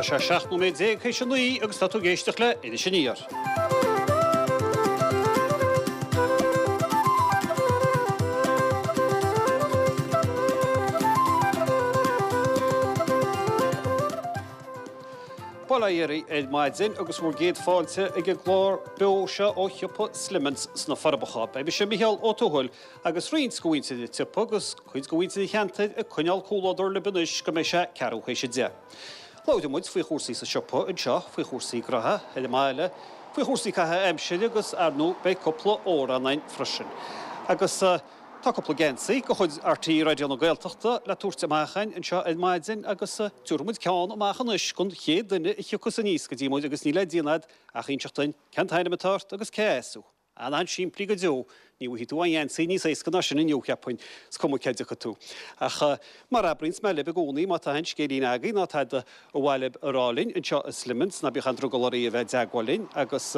Tá sé 17 nóiméad théis a 9 agus tá tú ag éisteacht le Iris Aniar. Bail ó Dhia oraibh ar maidin agus bhur gcéad fáilte ag an gclár beo seo ó shiopa Slimmans sna Forbacha. Beidh mise Micheál Ó Tuathail agus roinnt de mhuintir an tsiopa agus cuid de mhuintir an cheantair ag coinneáil comhluadar libh anois go mbeidh sé ceathrú théis a 10. Labhróidh muid faoi chúrsaí sa siopa anseo, faoi chúrsaí graithe ar an mbaile, faoi chúrsaí caitheamh aimsire agus ar ndóigh beidh cúpla amhrán againn freisin. Agus tá cúpla geansaí de chuid RTÉ Raidió na Gaeltachta le tabhairt amach againn anseo ar maidin agus tabharfaidh muid ceann amach anois don chéad duine a thiocfas aníos go dtí muid agus níl le déanamh agat ach inseacht duinn cén t-ainm atá ort agus cé as thú. An-simplí go deo, ní bhfaighidh tú aon gheansaí níos éasca ná sin inniu, cheapfainn, is cuma cé dtiocfaidh tú. Ach mar a abraíonns mé libh i gcónaí, má tá aon scéilín agaibh ná tada ar mhaith libh a rá linn anseo i Slimmans, ná bíodh aon drogall oraibh a bheith i dteagmháil linn agus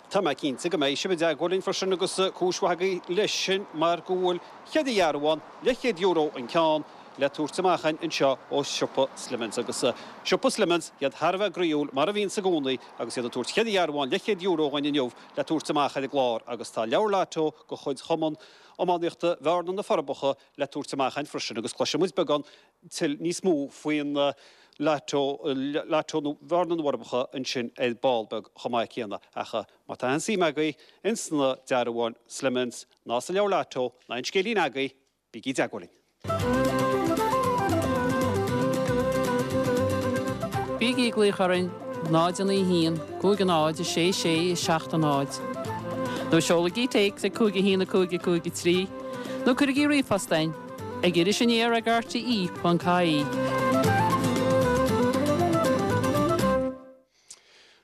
tá mé cinnte go mbeidh sibh i dteagmháil linn freisin agus cúis mhaith agaibh leis sin mar go bhfuil cheithre dhearbhán, leathchéad euro an ceann, le tabhairt amach againn anseo ó siopa Slimmans. Agus siopa Slimmans, iad thar a bheith groíúil, mar a bhíonns i gcónaí, agus iad ag tabhairt cheithre dhearbhán leathchéad euro dhúinn inniu le tabhairt amach ar an gclár agus tá leabhar Lotto de chuid Chumann Iománaíochta Bhearna na Forbacha le tabhairt amach againn freisin agus cloisfidh muid beagán tuilleadh níos mó faoin Lotto, Lotto Bhearna na bhForbacha ansin ar ball beag chomh maith céanna. Ach má tá aon suim agaibh ins na dearbháin Slimmans ná sa leabhar Lotto ná aon scéilín agaibh, Bígí i dteagmháil linn. Bígí ag glaoch orainn 0 9 1 5 0 6 6 7 0 nó seolaigí téacs ag 5 1 5 5 3 nó cuirigí ríomhphost chugainn ag irisaniar ag rte.ie.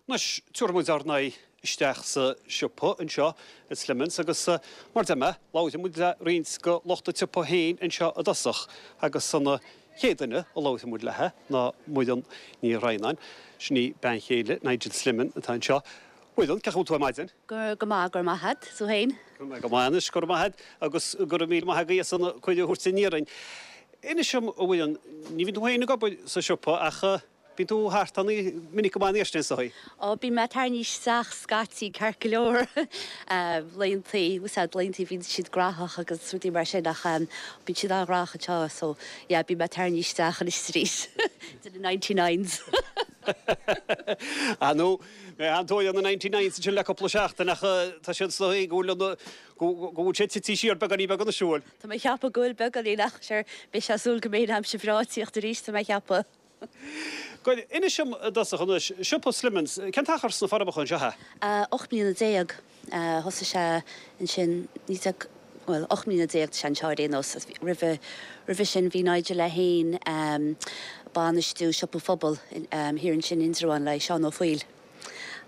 Anois, tabharfaidh muid ár n-aghaidh isteach sa siopa anseo i Slimmans agus, mar deir mé, labharfaidh muid le roinnt de lucht an tsiopa féin anseo i dtosach agus an chéad duine a labharfaidh muid léi ná Muireann Ní Dhroighneáin. Sin í bean chéile Nigel Slimmon atá anseo. Muireann, cén chaoi a bhfuil tú ar maidin? Go maith, go raibh maith agat. Is tú féin? Go maith anois, go raibh maith agat agus go raibh míle maith agaibh as an cuireadh a thabhairt aniar dúinn. Inis dom, a Mhuireann, ní bhíonn tú féin ag obair sa siopa ach, Bíonn tú thart ann minic go maith an iarraidh sin, is dóigh. Ó, bíonn mé ag tarraingt isteach scaití, ceart go leor. Laethantaí, úsáid laethantaí bíonn siad graitheach agus rudaí mar sin ach bíonn siad an-ghraitheach anseo so yeah bíonn mé ag tarraingt isteach anois arís de na ninety nines. Ah nó, mé an-tóir ar na ninety nines ansin le cúpla seachtain ach tá siad is dóigh go bhfuil an, go bhfuil sé tite siar beagáinín beag anois, an bhfuil? Tá mé ag ceapadh go bhfuil beagáinín ach sure beidh sé ag súil go mbeidh an aimsir bhreá ag tíocht arís tá mé ag ceapadh. Go, inis dom i dtosach anois, siopa Slimmans, cén t-achar sna Forbacha anseo é? 18 mbliana. Thosaigh sé ansin, 19, bhuel, 18 mbliana tá sé anseo ar aon nós. Roimhe, roimhe sin bhí Nigel é féin ag bainistiú siopa phobail thiar ansin in Indreabhán le Seán Ó Foighil.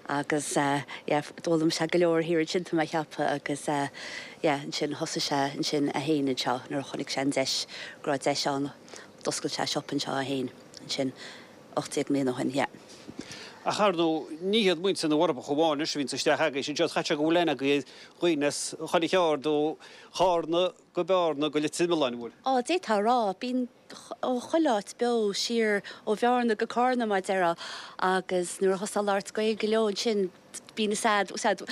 Agus yeah, d'fhoghlaim sé go leor thiar ansin tá mé a cheapadh agus yeah, ansin thosaigh sé ansin é féin anseo nuair a chonaic sé an deis, go raibh deis ann. D'oscail sé siopa anseo é féin ansin 18 mbliana ó shin, yeah. Ach ar ndóigh, ní hiad muintir na bhForbacha amháin anois a bhíonns isteach agaibhse anseo, chaithfeadh sé go bhfuil aithne agaibh ar dhaoine as chuile cheard ó Chárna go Bearna go Leitir Mealláin, an bhfuil? Á, d'fhéadfá a rá. Bíonn ó chuile áit beo siar ó Bhearna go Cárna mar a déarfá agus nuair a thosófá ag labhairt Gaeilge leo ansin, bíonn a fhios agat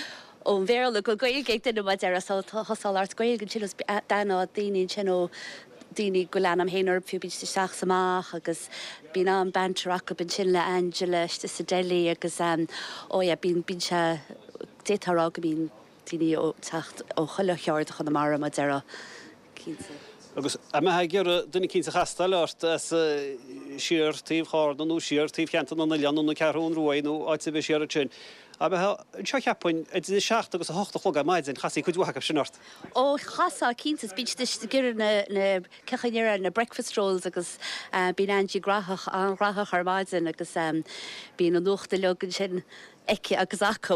ón Bhéarla go Gaeilge ag duine mar a déarfá so thosófá ag labhairt Gaeilge ansin agus d'aithneofá daoine ansin ó daoine go bhfuil aithne agam féin orthu fiú bíonn siad isteach is amach agus bíonn an-banter acu ansin le Angela istigh sa deli agus oh yeah bíonn bíonn sé d'fhéadfá a rá go mbíonn daoine ag teacht ó chuile cheard de Chonamara mar a déarfá. Cinnte. Agus an mbeifeá ag iarraidh duine eicínt a chastáil ort as siar taobh Chárna nó siar taobh Cheantar na nOileán nó na Ceathrún Ruaidh nó áit ar bith siar ansin, an mbeifeá anseo cheapfainn idir a seacht agus a hocht a chlog ar maidin, chasfaí cuid mhaith acu sin ort. Ó, chasfá, cinnte. Is bíonn siad ag iarraidh na, na, cén chaoi a ndéarfá, na breakfast rolls agus bíonn Angie graitheach, an-ghraitheach ar maidin agus bíonn an nuacht uilig ansin aici agus acu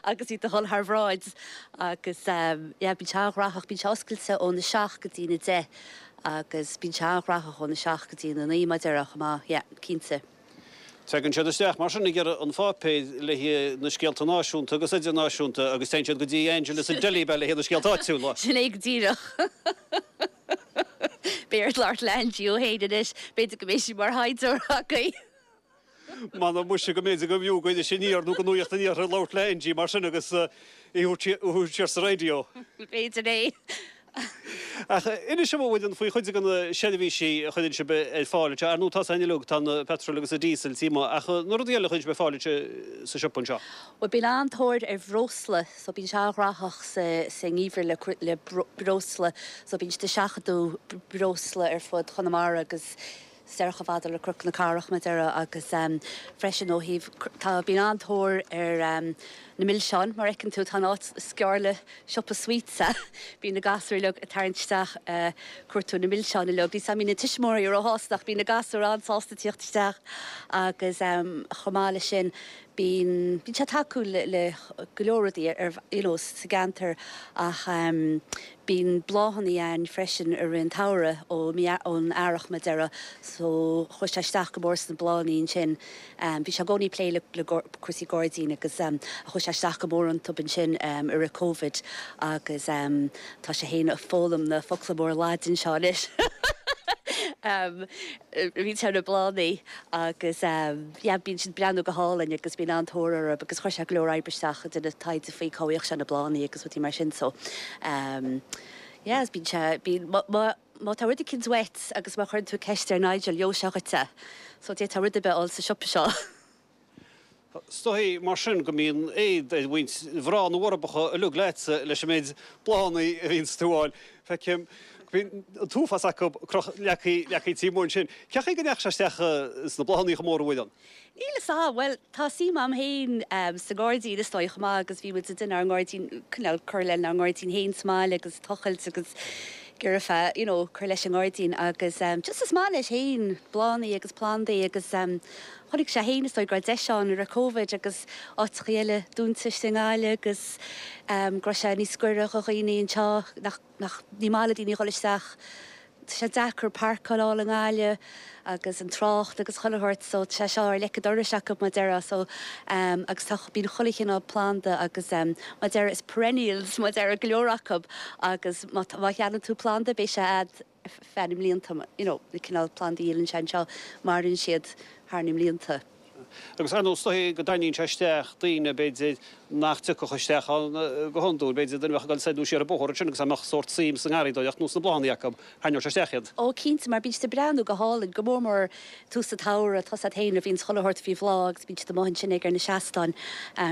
agus iad a dhul thar bhráid agus yeah bíonn sé an-ghraitheach, bíonn sé oscailte óna seacht go dtí'n a deich agus bíonn sé an-ghraitheach óna seacht go dtí'n a naoi mar a déarfá chomh maith, yeah cinnte. Tagann siad isteach mar sin ag iarraidh an pháipéir le haghaidh na scéalta náisiúnta agus idirnáisiúnta agus téann siad go dtí Angela sa deli le haghaidh na scéalta áitiúla. Sin é go díreach. Beidh ort labhairt le Angie ó shin anois, b'fhéidir go mbeidh sí mar thaighdeoir agaibh. M'anam muise go mb'fhéidir go mb'fhiú go Iris Aniar nó go Nuacht an Iarthair labhairt le Angie mar sin agus í a thabhairt siar sa raidió. B'fhéidir é. Ach inis dom a Mhuireann faoi chuid de na seirbhísí a chuireann sibh ar fáil anseo. Ar ndóigh tá a fhios againn uilig, tá an petrol agus an diesel taobh amuigh ach na rudaí eile a chuireann sibh ar fáil anseo sa siopa anseo. Bhuel bíonn an-tóir ar bhreosla so bíonn sé an-ghnóthach sa sa ngeimhreadh le le breosla so bíonn siad ag seachadadh breosla ar fud Chonamara agus soir chomh fada le Cnoc na Cathrach mar a déarfá agus freisin ó thaobh tá bíonn an-tóir ar na milseáin mar fheiceann tú tá an áit is gearr le siopa sweets bíonn na gasúir uilig ag tarraingt isteach cuartú na milseáin uilig níl 's a'm an mbíonn na tuismitheoirí róshásta ach bíonn na gasúir an-sásta tíocht isteach agus chomh maith leis sin Bíonn, bíonn sé tacúil le, le go leor rudaí ar, you know, sa gceantar ach bíonn bláthanna againn freisin i rith an tsamhraidh ó mí, ón earrach mar a déarfá so chuaigh sé isteach go mór sna bláthanna ansin. Bhí sé i gcónaí ag plé le, le cúrsaí gairdín agus chuaigh sé isteach go mór iontu ansin i rith Covid agus tá sé féin ag foghlaim na focla móra Laidin seo anois. Bíonn sé ar na bláthanna agus yeah bíonn siad breathnú go hálainn agus bíonn an-tóir orthu agus chuir sé go leor oibre isteach ag déanamh taighde faoi cá bhfaigheadh sé na bláthanna agus rudaí mar sin so yeah bíonn sé, bíonn, má, má, má tá rud eicínt uait agus má chuireann tú ceist ar Nigel gheobhaidh sé dhuit é so d'fhéadfá rud ar bith a fháil sa siopa seo. Is dóigh mar sin go mbíonn éad ar mhuintir mhná na bhForbacha uilig leatsa leis an méid bláthanna a bhíonns tú a fháil. Feicim go mbíonn an t-uafás acu leagtha leagtha taobh amuigh ansin. Cén chaoi go ndeachaigh sé isteach sna bláthanna chomh mór a Mhuireann? Níl fhios a'm. Bhuel, tá suim a'm féin sa ngairdín is dóigh chomh maith agus bhí muid ag déanamh ár ngairdín, cineál cur lenár ngairdín féin sa mbaile agus tochailt agus ag iarraidh feadh, you know, cur leis an ngairdín agus just is maith leis féin bláthanna agus plandaí agus Chonaic sé féin is dóigh go raibh deis ann i rith Covid agus áiteachaí eile dúnta istigh i nGaillimh agus go raibh sé níos gaire do dhaoine anseo nach, nach, ní maith le daoine a dhul isteach, tá sé deacair páirceáil a fháil i nGaillimh agus an trácht agus chuile shórt so tá sé seo ar leic an dorais acu mar a déarfá so agus tá, bíonn chuile chineál planda agus mar a déarfá is perennials mar a déarfá go leor acu agus má, má cheannaíonn tú planda beidh sé a'd feadh na mblianta, you know, na cineál plandaí a dhíolann sé anseo, maireann siad thar na mblianta. Agus ar ndóigh, is dóigh go dtarraingíonn sé isteach daoine, b'fhéidir, nach dtiocfadh isteach ann go hiondúil, b'fhéidir, duine a bheadh ag dul soir nó siar an bóthar ansin agus dá mbeadh sórt suim sa ngarraíodóireacht nó sna bláthanna acu, tharraingeodh sé isteach iad. Ó, cinnte, mar bíonn siad ag breathnú go hálainn, go mór mór tús an tsamhraidh, tá 's a'd féin, nuair a bhíonns chuile shórt faoi bhláth agus bíonn siad amuigh ansin ag ar na seastáin,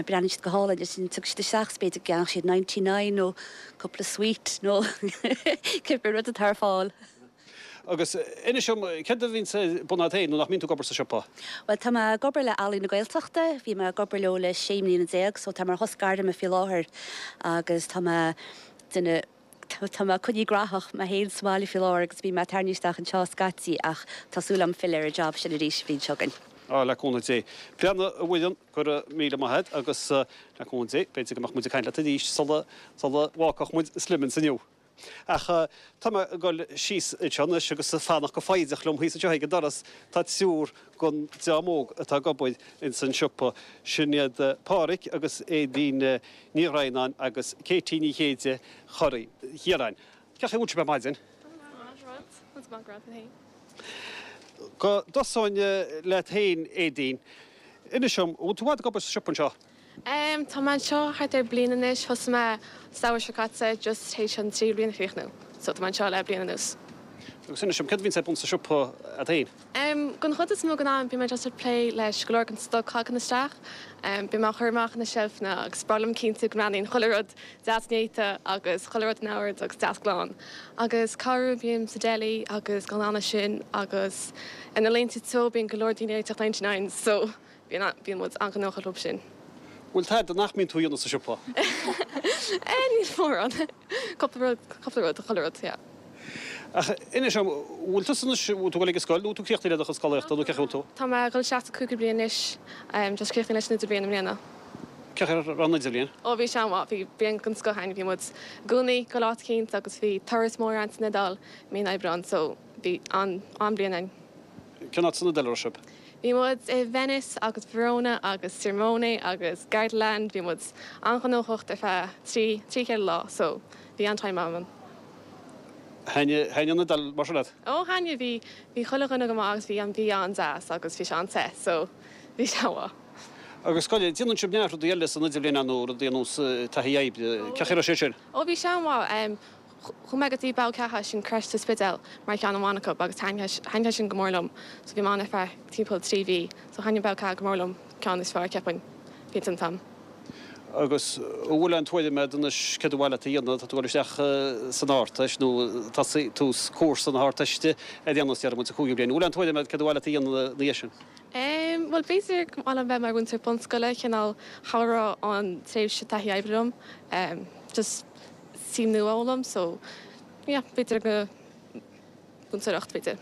breathnaíonn siad go hálainn, ansin tiocfaidh siad isteach is b'fhéidir go gceannóidh siad 99 nó cúpla sweet nó cibé rud atá ar fáil. Agus inis dom, céard a bhíonns ar bun agat féin nuair nach mbíonn tú ag obair sa siopa? Bhuel, tá mé ag obair le Ealaín na Gaeltachta, bhí mé ag obair leo le sé mbliana déag, so tá mé ar shos gairme faoi láthair agus tá mé déanamh, tá mé coinnithe graitheach mé féin sa mbaile faoi láthair agus bíonn mé ag tarraingt isteach anseo scaití ach tá súil agam filleadh ar an job sin arís an bhliain seo chugainn. Á, le cúnamh Dé. Breathnaigh, a Mhuireann, Go raibh míle maith agat agus le cúnamh Dé, b'fhéidir go mbeadh muid ag caint leat arís sula sula bhfágfadh muid Slimmins inniu. Ach tá mé ag dul síos anseo anois agus ag fanacht go foighdeach liom thíos anseo ag an doras tá triúr den dream óg atá ag obair ins an siopa. Sin iad Páraic agus Aedín Ní Dhroighneáin agus Katie Ní Chéide Chorraí Chiaráin. Cén chaoi a bhfuil sibh ar maidin? Go dtosóinn leat féin, Aedín. Inis dom, an bhfuil tú i bhfad ag obair sa siopa anseo? Tá mé anseo thart ar bliain anois. Thosaigh mé samhradh seo caite, just théis an tríú bliain a chríochnú. So tá mé anseo le bliain anuas. Agus inis dom, céard a bhíonns ar bun sa siopa agat féin? Don chuid is mó den am, bíonn mé just ag plé leis go leor den stoc a thagann isteach. Bíonn mé á chur amach ar na seilfeanna agus is breá liom cinntiú go mbreathnaíonn chuile rud deas néata agus chuile rud in ord agus deas glan. Agus corruair bím sa deli agus gan anna sin agus ar na laethanta teo bíonn go leor daoine ag réiteach ninety nines so bíonn bíonn muid an-ghnóthach leo sin. Bhfuil tada nach mbíonn tú a dhéanamh sa siopa? Eh níl mórán. Cúpla rud, cúpla rud, chuile rud, yeah. Ach inis dom, bhfuil tusa anois, bhfuil tú ag dul ag an scoil nó bhfuil tú críochnaithe le do chuid scolaíochta nó cén chaoi a bhfuil tú? Tá mé ag dul isteach sa cúigiú bliain anois, just críochnaithe leis an idirbhliain i mbliana. Cén chaoi a raibh an idirbhliain? Ó bhí sé an-mhaith, bhí bliain den scoth againn, bhí muid i gcónaí ag dul áit eicínt agus bhí turas mór againn san Iodáil mí an Aibreáin so bhí an-bhliain againn. Cén áit san Iodáil a raibh sibh? Bhí muid i Venice agus Verona agus Sirmione agus Gardaland, bhí muid an-ghnóthach ar feadh trí, trí chéile lá so bhí an-time ann. Thaitnigh an Iodáil mar sin leat? Ó thaitnigh, bhí, bhí chuile dhuine go maith agus bhí an bia an-deas agus bhí sé an-te so. Bhí sé an-mhaith. Agus gabh i leith, déanann sibh neart rudaí eile san idirbhliain ar ndóigh, rudaí ar nós taithí oibre, cén chaoi a raibh sé sin? Ó bhí sé an-mhaith. Chuaigh mé go dtí Bogha Ceatha, sin crèche sa Spidéal, mar cheann amháin acu agus thaitnigh sé sin go mór liom. So bhí mé ann ar feadh timpeall 3 mhí. So thaitnigh Bogha Ceatha go mór liom, ceann is fearr cheapfainn, bhí an t-am. Agus an bhfuil aon tuairim agat anois céard ba mhaith leat a dhéanamh, tá tú ag dul isteach san Ardteist nó tosaí, tús cúrsa na hArdteiste ar aon nós déarfaidh muid sa chúigiú bliain. An bhfuil aon tuairim agat céard ba mhaith leat a dhéanamh ina dhiaidh sin? Em, bhuel b'fhéidir go mba mhaith liom bheith mar mhúinteoir bunscoile, cineál chabhródh an tréimhse taithí oibre liom, em, just suim nua a fhoghlaim so yeah b'fhéidir go múinteoireacht b'fhéidir.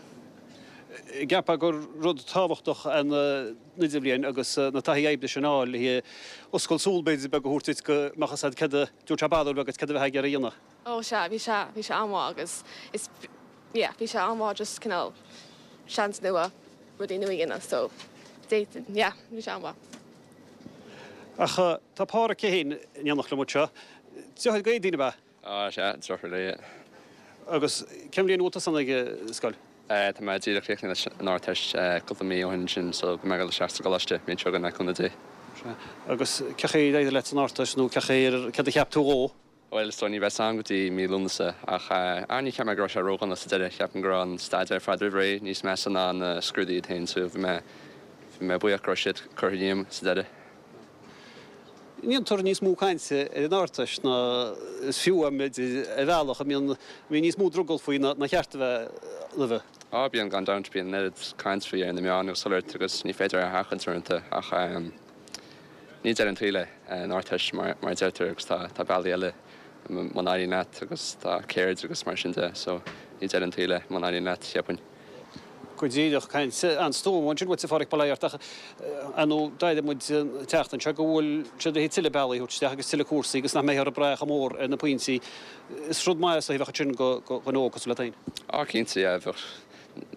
Cheapfá gur rud tábhachtach an idirbhliain agus na taithí oibre sin a fháil le oscailt súl b'fhéidir beag a thabhairt duit go mbeadh fhios agat céard a dtabharfadh sé barúil bheag duit céard a bheifeá ag iarraidh a dhéanamh. Ó sea, bhí sé, bhí sé an-mhaith agus is yeah bhí sé an-mhaith just cineál seans nua rudaí nua a dhéanamh so d'fhéadfainn yeah bhí sé an-mhaith. Ach tá Pádhraic é féin in éineacht liom anseo. Deartháir go Aedín ab ea? Á, sea, deartháir léi. Agus cén bhliain a bhfuil tusa ag an scoil? Tá mé díreach críochnaithe leis an Ardteist cúpla mí ó shin ansin so beidh mé ag dul isteach sa gcoláiste an bhliain seo chugainn le cúnamh Dé. Sea. Agus cén chaoi ar éirigh leat san Ardteist nó cén chaoi ar, céard a cheap tú dhó? Bhuel, is dóigh ní bheidh a fhios agam go dtí mí Lúnasa ach ah ní cheap mé go raibh sé ródhona sa deireadh. Cheapfainn go raibh an staidéar ar fad roimh ré níos measa ná na scrúduithe iad féin so bhí mé bhí mé buíoch go raibh siad curtha díom sa deireadh. Ndéantar níos mó cainte ar an Ardteist ná is fiú, b'fhéidir, ar bhealach a mbíonn mbíonn níos mó drogall faoi ná ná cheart a bheith roimhe. Á bíonn gan dabht, bíonn an oiread caint faoi ar na meáin agus chuile shórt agus ní féidir é a sheachaint uaireanta ach Ní deireadh an tsaoil é an Ardteist mar a deirtear agus tá bealaí eile muna n-éiríonn leat agus tá ceird agus mar sin de so ní deireadh an tsaoil é muna n-éiríonn leat, cheapfainn. Go díreach, caint an-stuama ansin uait a Pháraic, bail ó Dhia ort ach ar ndóigh d'airigh muid an tseachtain seo go bhfuil siad le tuilleadh bealaí a thabhairt isteach agus tuilleadh cúrsaí agus nach mbeifear ag brath chomh mór ar na pointí. Is rud maith is dóigh a bheadh ansin do dhuine óg cosúil leat féin. Á cinnte, yeah, bheadh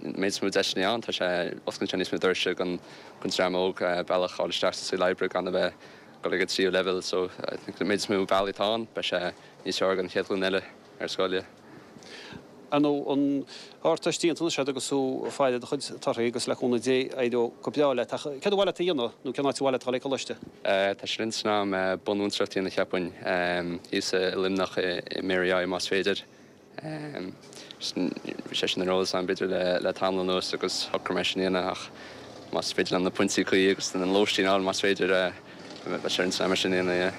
méid is mó deiseanna ann, tá sé, osclaíonn sé níos mó doirse don dream óg bealach a fháil isteach sa saol oibre gan a bheith ag dul ag an tríú leibhéal so I think an méid is mó bealaí atá ann beidh sé níos fearr don chéad ghlúin eile ar scoil, yeah. Ar ndóigh, an Ardteist déanta anois agat agus tú ag faire do chuid torthaí agus le cúnamh Dé éireoidh go breá leat ach céard ba mhaith leat a dhéanamh nó cén áit ba mhaith leat a dhul ag coláiste? Tá sé ar intinn agam bunmhúinteoireacht a dhéanamh cheapfainn thíos i Luimneach i Mary I más féidir. Bhí sé sin ar eolas agam b'fhéidir le tamall anuas agus shocraigh mé sin a dhéanamh ach más féidir liom na pointí cuí agus an lóistín a fháil más féidir, beidh sé ar intinn agam é sin a dhéanamh, yeah.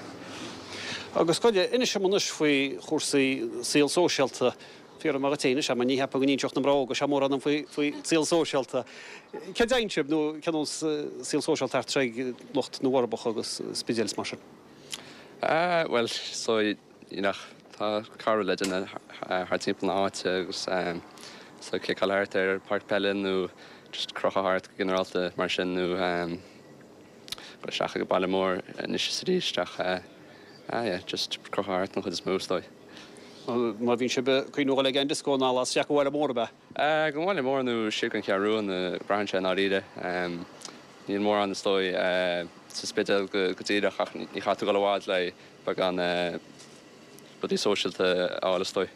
Agus gabh i leith, inis dom anois faoi chúrsaí saol sóisialta. Fiafraím díot féin anois, mar ní cheapfainn go n-inseodh na mná óga seo mórán dom faoi faoi saol sóisialta. Céard a dhéanann sibh nó cén nós saol sóisialta thart ag lucht na bhForbacha agus Spidéal is mar sin? Bhuel, so You know, tá cara le duine thart timpeall na háite agus so ciceáil thart ar páirc peile nó just crochadh thart go ginearálta mar sin nó dul isteach ag an baile mór anois is arís ach ah yeah, just crochadh thart an chuid is mó is dóigh. Má bhíonn sibh ag cuimhniú dhul ag an dioscó ná las isteach go bhaile mór ab ea? Go bhaile mór nó siar go an Cheathrú Rua nó braitheann sé i ndáiríre. Níl mórán is dóigh sa Spidéal go díreach ach ní chaithfidh tú dul i bhfad le beagán rudaí sóisialta a fháil is dóigh.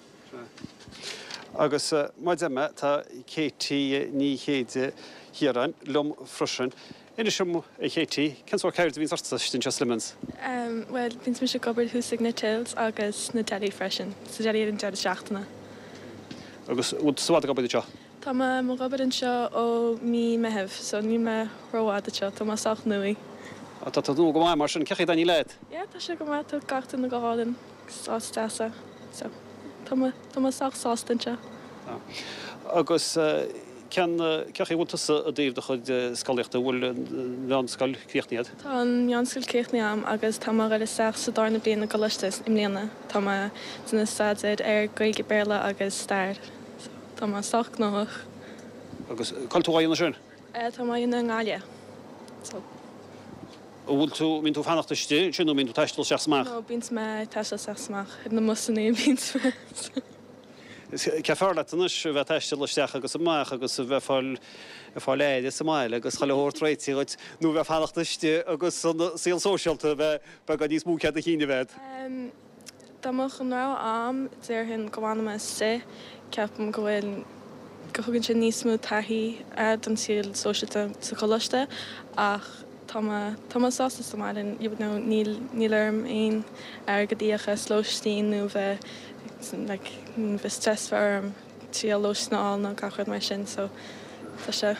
Agus mar a deir mé, tá Katie Ní Chéide Chiaráin liom freisin. Inis dom, a Katie, cén sórt ceird a bhíonns ortsa istigh anseo i Slimmans? Bhuel, bíonns mise ag obair thuas ag na tills agus sna deli freisin, sa deli ar an deireadh seachtaine. Agus bhfuil tú i bhfad ag obair anseo? Tá mé mo dh'obair anseo ó mí Meitheamh so níl mé rófhada anseo, tá mé sách nuaí. Á tá tú nua go maith mar sin, cén chaoi a dtaitníonn leat? Yeah tá sé go maith, tá gach duine go hálainn agus áit deas é so tá mé tá mé sách sásta anseo. Tá. Agus cén cén chaoi a bhfuil tusa i dtaobh do chuid scolaíochta, an bhfuil an mheánscoil críochnaithe agat? Tá an mheánscoil críochnaithe agam agus tá mé a dhul isteach sa darna bliain i gcoláiste i mbliana. Tá mé ag déanamh staidéir ar Gaeilge, Béarla agus Stair so. Tá mé sách gnóthach. Agus cá bhfuil tú á dhéanamh sin? Tá mé á dhéanamh i nGaillimh. So. An bhfuil tú, mbíonn tú ag fanacht istigh ansin nó mbíonn tú ag taisteal isteach 's amach? No, bíonns mé ag taisteal isteach 's amach. Ar na mbusannaí a bhíonns mé. Cé fearr leat anois, a bheith ag taisteal isteach agus amach agus a bheith fáil, ag fáil aire sa mbaile agus chuile shórt réitithe dhuit nó a bheith ag fanacht istigh agus an saol sóisialta a bheith beagán níos mó cead a chinn a bheith agat? Dá mbeadh an rogha a'm, déarfainn go bhfanfaidh mé istigh. Ceapaim go bhfuil, go thugann sé níos mó taithí don saol sóisialta sa choláiste ach. tá mé, tá mé sásta sa mbaile, you know, níl, níl orm aon airgead a íoc as lóistín nó bheith like bheith stress bheith orm triail lóistín a fháil nó gach rud mar sin so tá sé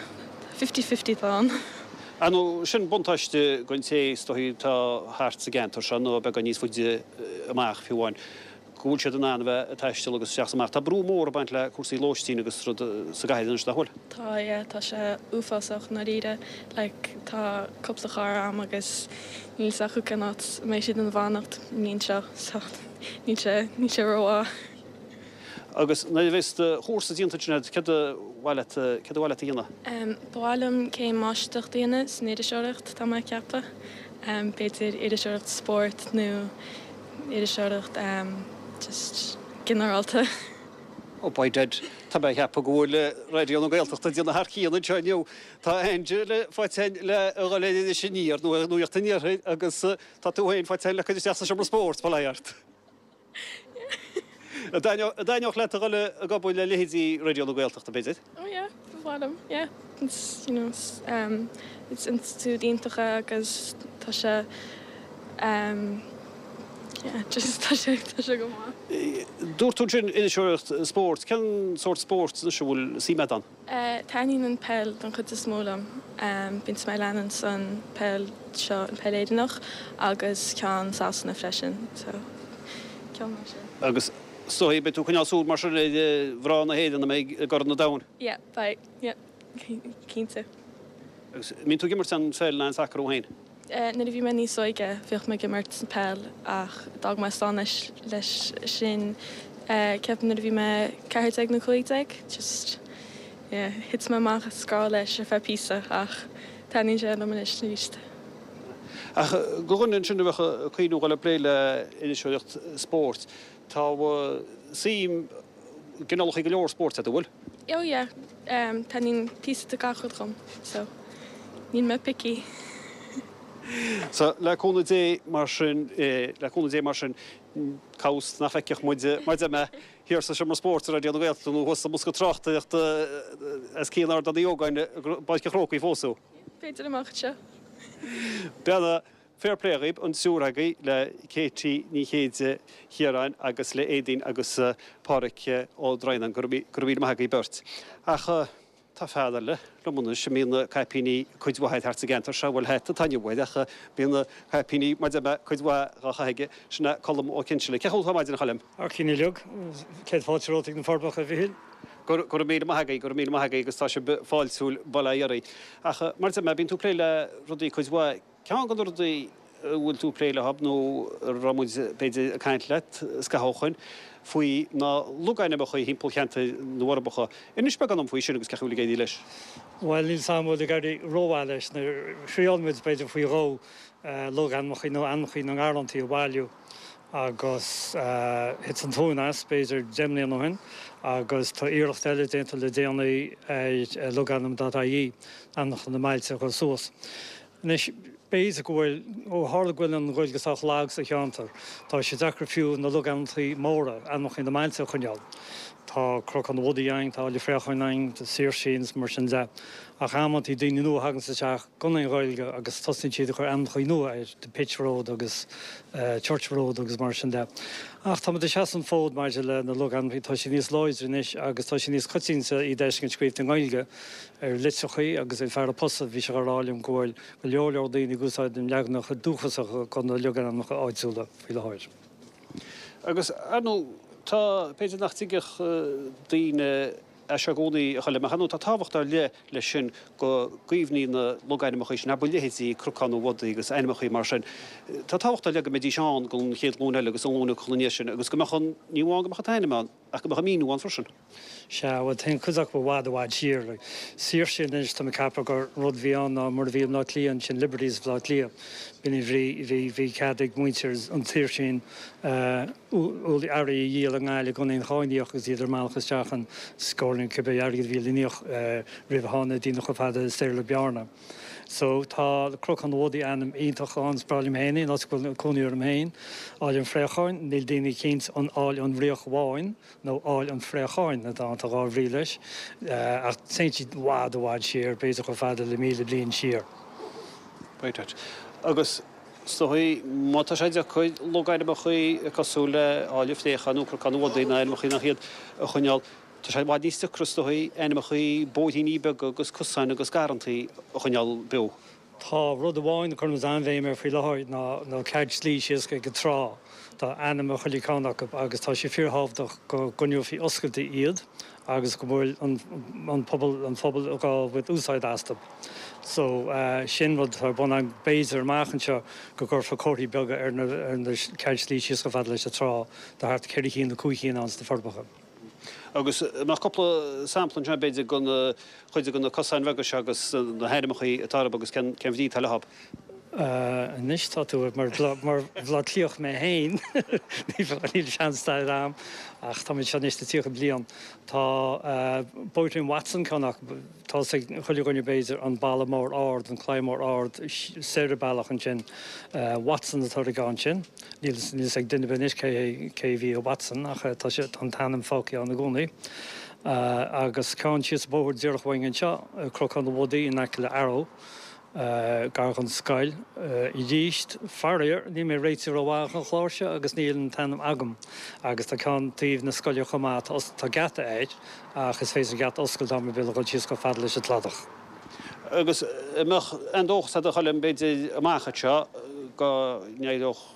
fifty fifty atá ann. Ar ndóigh, sin buntáiste don té is dóichí atá thart sa gceantar seo nó beagán níos faide amach fiú amháin, go bhfuil siad in ann a bheith ag taisteal agus isteach is amach. Tá brú mór ag baint le cúrsaí lóistín agus rud sa gcathair anois, nach bhfuil? Tá, yeah, tá sé uafásach i ndáiríre. Like, tá cúpla cara a'm agus níl 'fhios acu cén áit a mbeidh siad ina bhfanacht an bhliain seo, so níl sé, níl sé rómhaith. Agus nuair a bheas do chúrsa déanta ansin agat, céard ba mhaith leat, céard ba mhaith leat a dhéanamh? Em, ba mhaith liom céim máistreachta a dhéanamh san iriseoireacht, tá mé ag ceapadh. Em, b'fhéidir iriseoireacht spóirt nó iriseoireacht just ginearálta. Oh by dad, tá mé ag ceapadh go bhfuil Raidió na Gaeltachta ag déanamh thar cionn anseo inniu. Tá Angela faighte againn le a dhul ar Iris Aniar nó ar Nuacht an Iarthair agus tá tú féin faighte againn le cur isteach sa seomra spóirt, bail ó Dhia ort. An dtaitneodh leat a dhul ag obair le leithéidí Raidió na Gaeltachta, b'fhéidir? Oh yeah, ba mhaith liom, yeah. It's, you know, it's, um, it's institiúid iontach é agus tá sé, um, yeah, just tá sé, tá sé go maith. Dúirt tú ansin iriseoireacht spóirt. Cén sórt spóirt anois a bhfuil suim agat ann? Taitníonn an peil don chuid is mó liom. Bíonn mé ag leanúint an peil seo, an peil Éireannach agus ceann Sasana freisin, so ceann mar sin. Agus is dóigh, beidh tú ag coinneáil súil mar sin ar mhná na hÉireann a mbeidh i gCorn an Domhain? Yeah, beidh, yeah, cinnte. Agus an mbíonn tú ag imirt an pheil ná an sacar thú féin? Nuair a bhí mé níos óige bhíodh mé ag imirt peil ach d'fhág mé stán leis leis sin ceapaim nuair a bhí mé 14 nó 15 just yeah thit mé amach as grá leis ar feadh píosa ach taitníonn sé liom anois arís. Ach do dhuine ansin a bheadh ag cuimhniú dhul ag plé le iriseoireacht spóirt, tá suim i gcineálacha go leor spóirt agat, an bhfuil? Oh yeah, taitníonn píosa de gach rud dhom, so níl mé picky. So, le cúnamh Dé mar sin, le cúnamh Dé mar sin, cá bhfios nach bhfeicfeadh muid, mar a deir mé, thiar sa seomra spóirt i Raidió na Gaeltachta nó thuas sa mbosca tráchtaireachta os cionn Ardán Uí Ógáin i bPáirc an Chrócaigh fós thú. B'fhéidir amach anseo. Beanna, Fair play dhaoib, an triúr agaibh, le Katie Ní Chéide Chiaráin agus le Aedín agus Pádhraic Ó Droighneáin. Go raibh míle maith agaibh beirt. Ach tá fear eile liom anois a mbíonn caipíní cuid mhaith air thart sa gceantar seo, bhuel hata atá inniu air ach bíonn caipíní, mar a deir mé, cuid mhaith dhá chaitheamh aige, sin é Colm Ó Cinnsealaigh. Cén chaoi a bhfuil tú ar maidin, a Choilm? Thar cionn uilig. Céad fáilte romhat ag na Forbacha, a Mhichíl. Go raibh míle maith agaibh, go raibh míle maith agaibh agus tá sibh fáiltiúil, bail ó Dhia oraibh. Ach mar a deir mé, bíonn tú ag plé le rudaí cuid mhaith. Ceann de na rudaí a bhfuil tú ag plé leo nó a raibh muid, b'fhéidir, ag caint leat scaitheamh ó shoin faoi ná logainmneacha thimpeall cheantar na bhForbacha. Inis beagán dom faoi sin agus cén chaoi a bhfuil ag éirí leis. Bhuel, níl 's a'm an bhfuil ag éirí rómhaith leis. Thriáil muid, b'fhéidir, faoi dhó logainmneacha nó ainmneacha na ngarrantaí a bhailiú. agus thit an tóin as, b'fhéidir, 10 mbliana ó shin, agus tá iarracht eile déanta le déanaí ar logainm dot ie, ainmneacha na mbailte a chur suas. Anois, b'fhéidir go bhfuil, ó tharla go bhfuil an Ghaeilge sách lag sa cheantar, tá sé deacair fiú na logainmneacha móra, ainmneacha na mbailte a choinneáil. Tá Cnocán an Bhodaigh againn, tá Áill an Phréacháin againn, tá Saoirsín is mar sin de. Ach amantaí daoine nua a thaganns isteach gan aon Ghaeilge agus tosnaíonn siad ag cur ainmneacha nua air, The Pitch Road agus Church Road agus mar sin de. Ach táimid ag seasamh an fód maidir le na logainmneacha, tá siad níos láidre anois agus tá sé níos coitianta iad a fheiscint scríofa i nGaeilge ar litreachaí agus an fear an phosta bhí sé á rá liom go bhfuil go leor leor daoine ag úsáid na leaganacha dúchasacha de na logainmneacha áitiúla faoi láthair. Agus, ar ndóigh, tá, b'fhéidir nach dtuigfeadh daoine é seo i gcónaí, a Choilm, ach ar ndóigh tá tábhacht ar leith leis sin go gcaomhnaí na logainmneacha sin, abair leithéidí Cnocán an Bhodaigh agus ainmneacha mar sin. Tá tábhacht ar leith go mbeidís ann don chéad ghlúin eile agus don ghlúin ina dhiaidh sin agus go mbeadh an, ní amháin go mbeadh an t-ainm ann ach go mbeadh an míniú ann freisin. Sea, bhuel, téann cuid acu i bhfad, i bhfad siar. Like, Saoirse anois, tá mé ag ceapadh gur rud a bhí ann ná mar a bhí i mBleá Cliath ansin, Liberties Bhleá Cliath. B'in an bhrí, bhí, bhí cead ag muintir an tSaoirsín, eh, ualaí earraí a dhíol i nGaillimh gan aon cháin a íoc agus iad ar a mbealach isteach an scór nó cibé airgead a bhí le n-íoc roimh a tháinig daoine chomh fada le Séarlas Bearna. So tá Cnocán an Bhodaigh ainm iontach ann, is breá liom féin é, an áit go bhfuil cónaí orm féin, Áill an Phréacháin, níl daoine cinnte an Áill an Fhraoch Bháin nó Áill an Phréacháin atá ann, tá dhá bhrí leis, ach téann siad i bhfad i bhfad siar, b'fhéidir chomh fada le 1,000 bliain siar. Right. Agus is dóigh, má tá sé deacair logainmneacha cosúil le Áill an Phréacháin nó Cnocán an Bhodaigh nó ainmneacha nach iad a choinneáil, tá sé i bhfad níos deacra is dóigh ainmneacha bóithríní beaga agus cosáin agus garrantaí a choinneáil beo. Tá rud amháin a cuireann muid an-bhéim air faoi láthair ná na ceithre slí síos ag an trá. Tá ainm ar chuile cheann acu agus tá sé fíorthábhachtach go gcoinneofaí oscailte iad agus go bhfuil an pobal an phobal ag baint úsáid astu. So sin rud atá ar bun againn. B'fhéidir amach anseo go gcuirfear comharthaí beaga ar na ar na ceithre slí síos chomh fada leis an trá. Tá thart ar cheithre chinn nó cúig chinn ann sna Forbacha. Agus an mbeadh cúpla sampla anseo, b'fhéidir, de chuid de na cosáin bheaga seo agus na hainmneacha atá orthu agus cén bhrí atá leo? Anois tá tú mar Bhaile Átha Cliathach mé féin, níl sean-stair agam ach tá mé anseo anois le 30 bliain. Tá Bóithrín Watson ceann acu, tá fhios ag chuile dhuine b'fhéidir, an balla mór ard, an claí mór ard soir an bealach ansin. Watson atá ar an gceann sin. Níl fhios ag duine ar bith anois cé cé a bhí i Watson ach tá sé tá an t-ainm fágtha ann i gcónaí. Agus ceann síos an bóthar díreach uainn anseo, Cnocán an Bhodaigh in aice le Arrow, gar don scoil. Arís, faraor, níl mé réitithe rómhaith don chlár seo agus níl an t-ainm agam. Agus tá ceann taobh na scoile chomh maith, tá geata air ach is féidir an geata a oscailt am ar bith le dhul síos chomh fada leis an cladach. Agus an mbeadh aon dóchas agat a Choilm, b'fhéidir, amach anseo go n-éireodh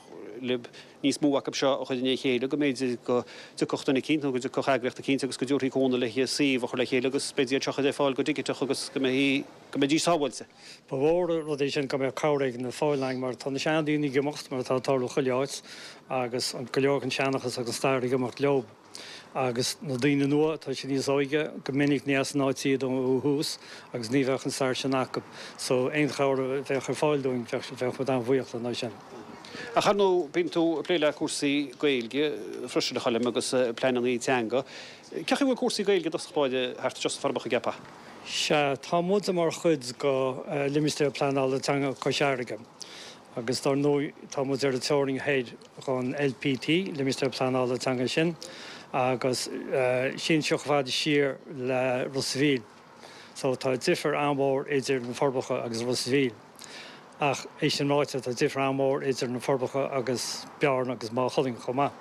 libh níos mó acu seo a chur ina chéile, go mb'fhéidir go dtiocfadh duine eicínt nó go dtiocfadh eagraíocht eicínt agus go dtabharfaí cúnamh le suíomh a chur le chéile agus b'fhéidir iad seo a chur ar fáil go digiteach agus go mbeidh, go mbeidís sábháilte. Ba mhór an rud é sin go mbeadh cabhair éigin ar fáil againn mar tá na seandaoine ag imeacht, mar atá ag tarlú chuile áit, agus go leor den seanchas agus an stair ag imeacht leo. Agus na daoine nua, tá siad níos óige, go minic ní as an áit iad ó thús agus ní bheadh an stair sin acu. So aon chabhair a bheadh ar fáil dúinn, bheadh bheadh muid an-bhuíoch lena aghaidh sin. Ach ar ndóigh, bíonn tú ag plé le cúrsaí Gaeilge freisin, a Choilm, agus pleananna teanga. Cén chaoi a bhfuil cúrsaí Gaeilge i dtosach báire thart anseo sna Forbacha, an gceapfá? Sea, tá muid mar chuid de Limistéar Pleanála Teanga Chois Fharraige. Agus dar ndóigh tá muid ar an teorainn thoir dhon LPT, Limistéar Pleanála Teanga sin, agus síneann sé chomh fada siar le Ros a' Mhíl. So tá difear an-mhór idir na Forbacha agus Ros a' Mhíl. Ach é sin ráite, tá difear an-mhór idir na Forbacha agus Bearna agus Maigh Cuilinn chomh maith.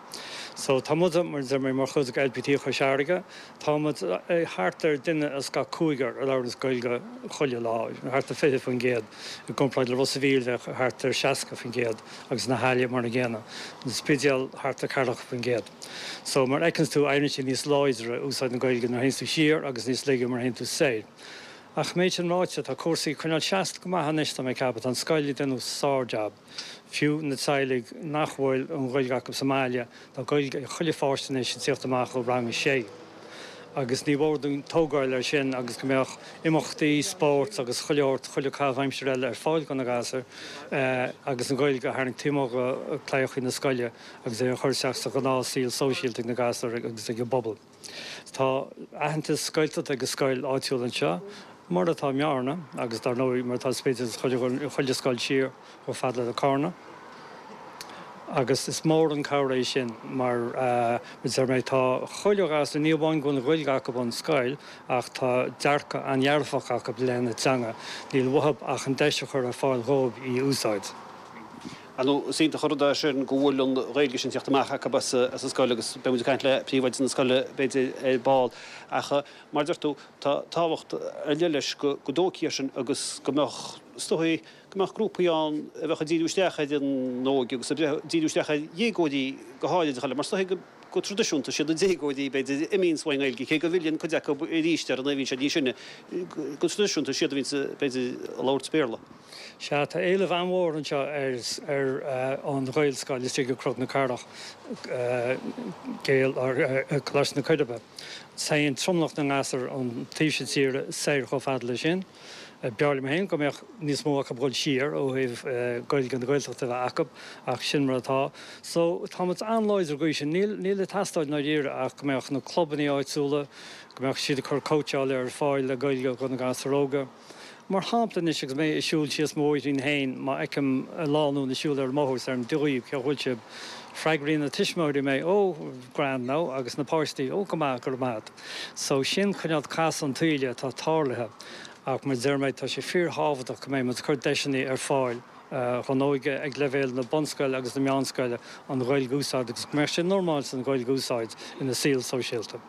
So tá muid, mar a deir mé, mar chuid de LPT Chois Fharraige. Tá muid thart ar duine as gach cúigear a labhraíonns Gaeilge chuile lá, thart ar 20%, i gcomparáid le Ros a' Mhíl bheadh thart ar 60% agus na hAille mar an gcéanna, an Spidéal thart ar 40%. So mar a fheiceanns tú éiríonn sé níos láidre úsáid na Gaeilge nuair a théanns tú siar agus níos laige mar a théann tú soir. Ach méid sin ráite, tá cúrsaí ag coinneáil seasta go maith anois tá mé ag ceapadh, tá an scoil ag déanamh sár-jab. Fiú na teaghlaigh nach bhfuil an Ghaeilge acu sa mbaile, tá Gaeilge ag chuile pháiste anois ag tíocht amach ó rang a sé. Agus ní mhór dúinn tógáil air sin agus go mbeadh imeachtaí, spóirt agus chuile shórt, chuile caitheamh aimsire eile ar fáil do na gasúir agus an Ghaeilge a tharraingt taobh amuigh de claíochaí na scoile agus é a chur isteach sa ghnáth-saol sóisialta ag na gasúir agus ag an bpobal. Tá aitheantas Gaeltachta ag an scoil áitiúil anseo, mar atá i mBearna, agus dar ndóigh mar atá sa Spidéal is chuile scoil siar chomh fada le Carna. Agus is mór an cabhair é sin mar a deir mé, tá chuile ghasúr, ní amháin go bhfuil an Ghaeilge acu ón scoil ach tá dearcadh an-dhearfach acu i leith na teanga. Níl uathu ach an deis a chur ar fáil dhóibh í a úsáid. Ar ndóigh, is iontach an rud é sin go bhfuil an Ghaeilge sin ag teacht amach acu as an scoil agus beidh muid ag caint le príomhoide na scoile, b'fhéidir, ar ball. Ach mar a deir tú, tá tábhacht ar leith leis go dtógfaí air sin agus go mbeadh, is dóigh, go mbeadh grúpaí ann a bheadh ag díriú isteach ar an óige agus ag díriú isteach ar dhéagóirí go háirid, a Choilm, mar is dóigh go traidisiúnta, siad na déagóirí, b'fhéidir, a imíonns ón nGaeilge, cé go bhfilleann cuid acu arís ar nuair a bhíonn siad níos sine, go traidisiúnta, siad a bhíonns, b'fhéidir, ag labhairt Béarla. Sea, tá éileamh an-mhór anseo ar an Ghaelscoil istigh i gCnoc na Cathrach, Gael, Coláiste na Coiribe. Téann tromlach na ngasúr ón taobh seo tíre soir chomh fada leis sin. B'fhearr liom féin go mbeadh níos mó acu ag dul siar ó thaobh Gaeilge na Gaeltachta a bheith acu, ach sin mar atá. So, tá muid an-láidir ag sin. Níl, níl ag teastáil i ndáiríre ach go mbeadh na clubanna áitiúla, go mbeadh siad ag cur cóitseála ar fáil le Gaeilge do na gasúir óga. Mar shampla anois agus mé ag siúl síos mo bhóithrín féin, má fheicim lánúin ag siúl ar an mbóthar is deirim Dia dhaoibh, cén chaoi a bhfuil sibh? Freagraíonn na tuismitheoirí mé, Ó, grand now, agus na páistí, Ó, go maith, go raibh maith agat. So sin cineál casadh an tsaoil atá tarlaithe. Ach mar a deir mé, tá sé fíorthábhachtach go mbeidh muid ag cur deiseanna ar fáil dhon óige ag leibhéal na bunscoile agus na meánscoile an Ghaeilge a úsáid agus go mbeadh sé normálta an Ghaeilge a úsáid ina saol sóisialta.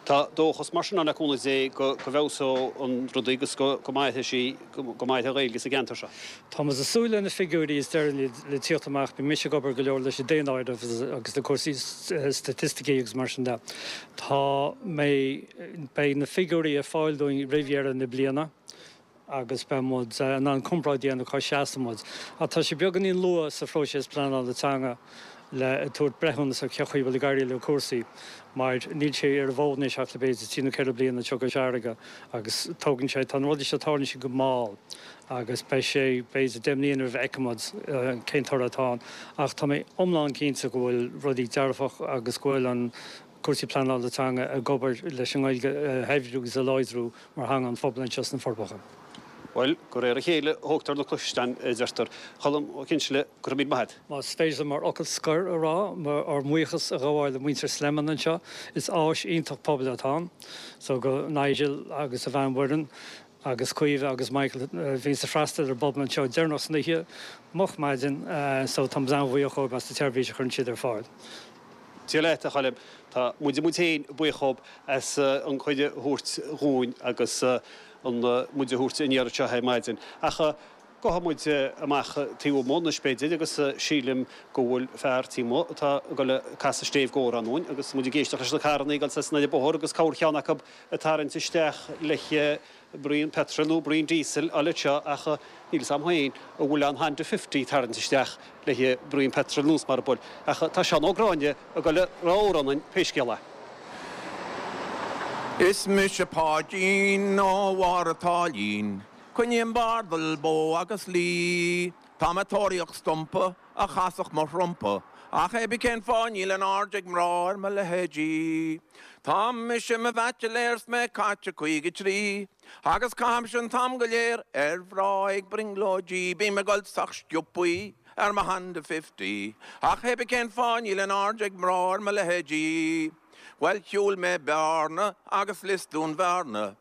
Tá dóchas mar sin ann le cúnamh Dé go bhfeabhsóidh an rudaí agus go mairfidh sí, go mairfidh an Ghaeilge sa gceantar seo. Tá muid ag súil le na figiúirí is deireanaí le tíocht amach. Bíonn mise ag obair go leor leis an daonáireamh agus le cúrsaí staitisticí agus mar sin de. Tá mé, beidh na figiúirí ar fáil dúinn roimh dheireadh na bliana agus beidh muid in ann comparáid a dhéanamh cá seasann muid. Ach tá sé beagáinín luath sa phróiseas pleanála teanga le tabhairt breithiúnas ar cé chaoi a bhfuil ag éirí le cúrsaí mar níl sé ar an bhfód anois ach le b'fhéidir trí nó ceithre bliana anseo i gCois Fharraige agus tógann sé, tá na rudaí seo, tarlaíonn siad go mall agus beidh sé b'fhéidir 10 mbliana roimh a fheicfidh muid cén toradh atá ann. Ach tá mé iomlán cinnte go bhfuil rudaí dearfach agus go bhfuil an cúrsaí pleanála teanga ag obair leis an nGaeilge a shaibhriú agus a láidriú mar theanga an phobail anseo sna Forbacha. Bhuel, de réir a chéile a thógtar na gluaisteáin, a deirtear. A Choilm Ó Cinnseala, go raibh míle maith agat. Más féidir liom mar fhocal scoir a rá, ár mbuíochas a ghabháil le muintir Slemon anseo. Is áis iontach pobail atá ann. So go Nigel agus a bhean Mhuireann agus Caoimhe agus Michael a bhíonns ag freastal ar an bpobal anseo deireanach san oíche, moch maidin. So táimid an-bhuíoch dhóibh as an tseirbhís a chuireann siad ar fáil. Dia leat, a Choilm. Tá muide muid féin buíoch dhób as an cuireadh a thabhairt dhúinn agus an muid a thabhairt aniar anseo ar maidin. Ach gabhfaidh muid amach taobh amuigh anois b'fhéidir agus sílim go bhfuil fear taobh amuigh atá ag dul ag casadh stéibh gcomhrá dúinn agus muid ag éisteacht leis na carranna ag dul soir is anall an bóthar agus corrcheann acu ag tarraingt isteach le braon petrol nó braon diesel a fháil anseo ach níl fhios a'm féin an bhfuil an Honda Fifty ag tarraingt isteach le braon petrol nós mar a bhfuil ach tá Seán Ó Gráinne ag dul a rá amhrán dúinn pé scéal é. Is mise Páidín ó Bharr a' tSáilín, Coinním bardal bó agus lao. Tá mé ag tóraíocht stumpa a chasfadh mo thrumpa, ach hé bí cén fáth níl aon aird ag mná ar mo leithéidí. Tá mise i mo bhaitsiléir 's mé caite 53, agus caithimse an t-am go léir ar mhná ag brionglóidí. Bím ag dul sách sciobthaí ar mo Honda Fifty, ach hé bí cén fáth níl aon aird ag mná ar mo leithéidí. Bhuel shiúil mé Bearna agus Lios Dúin Bhearna,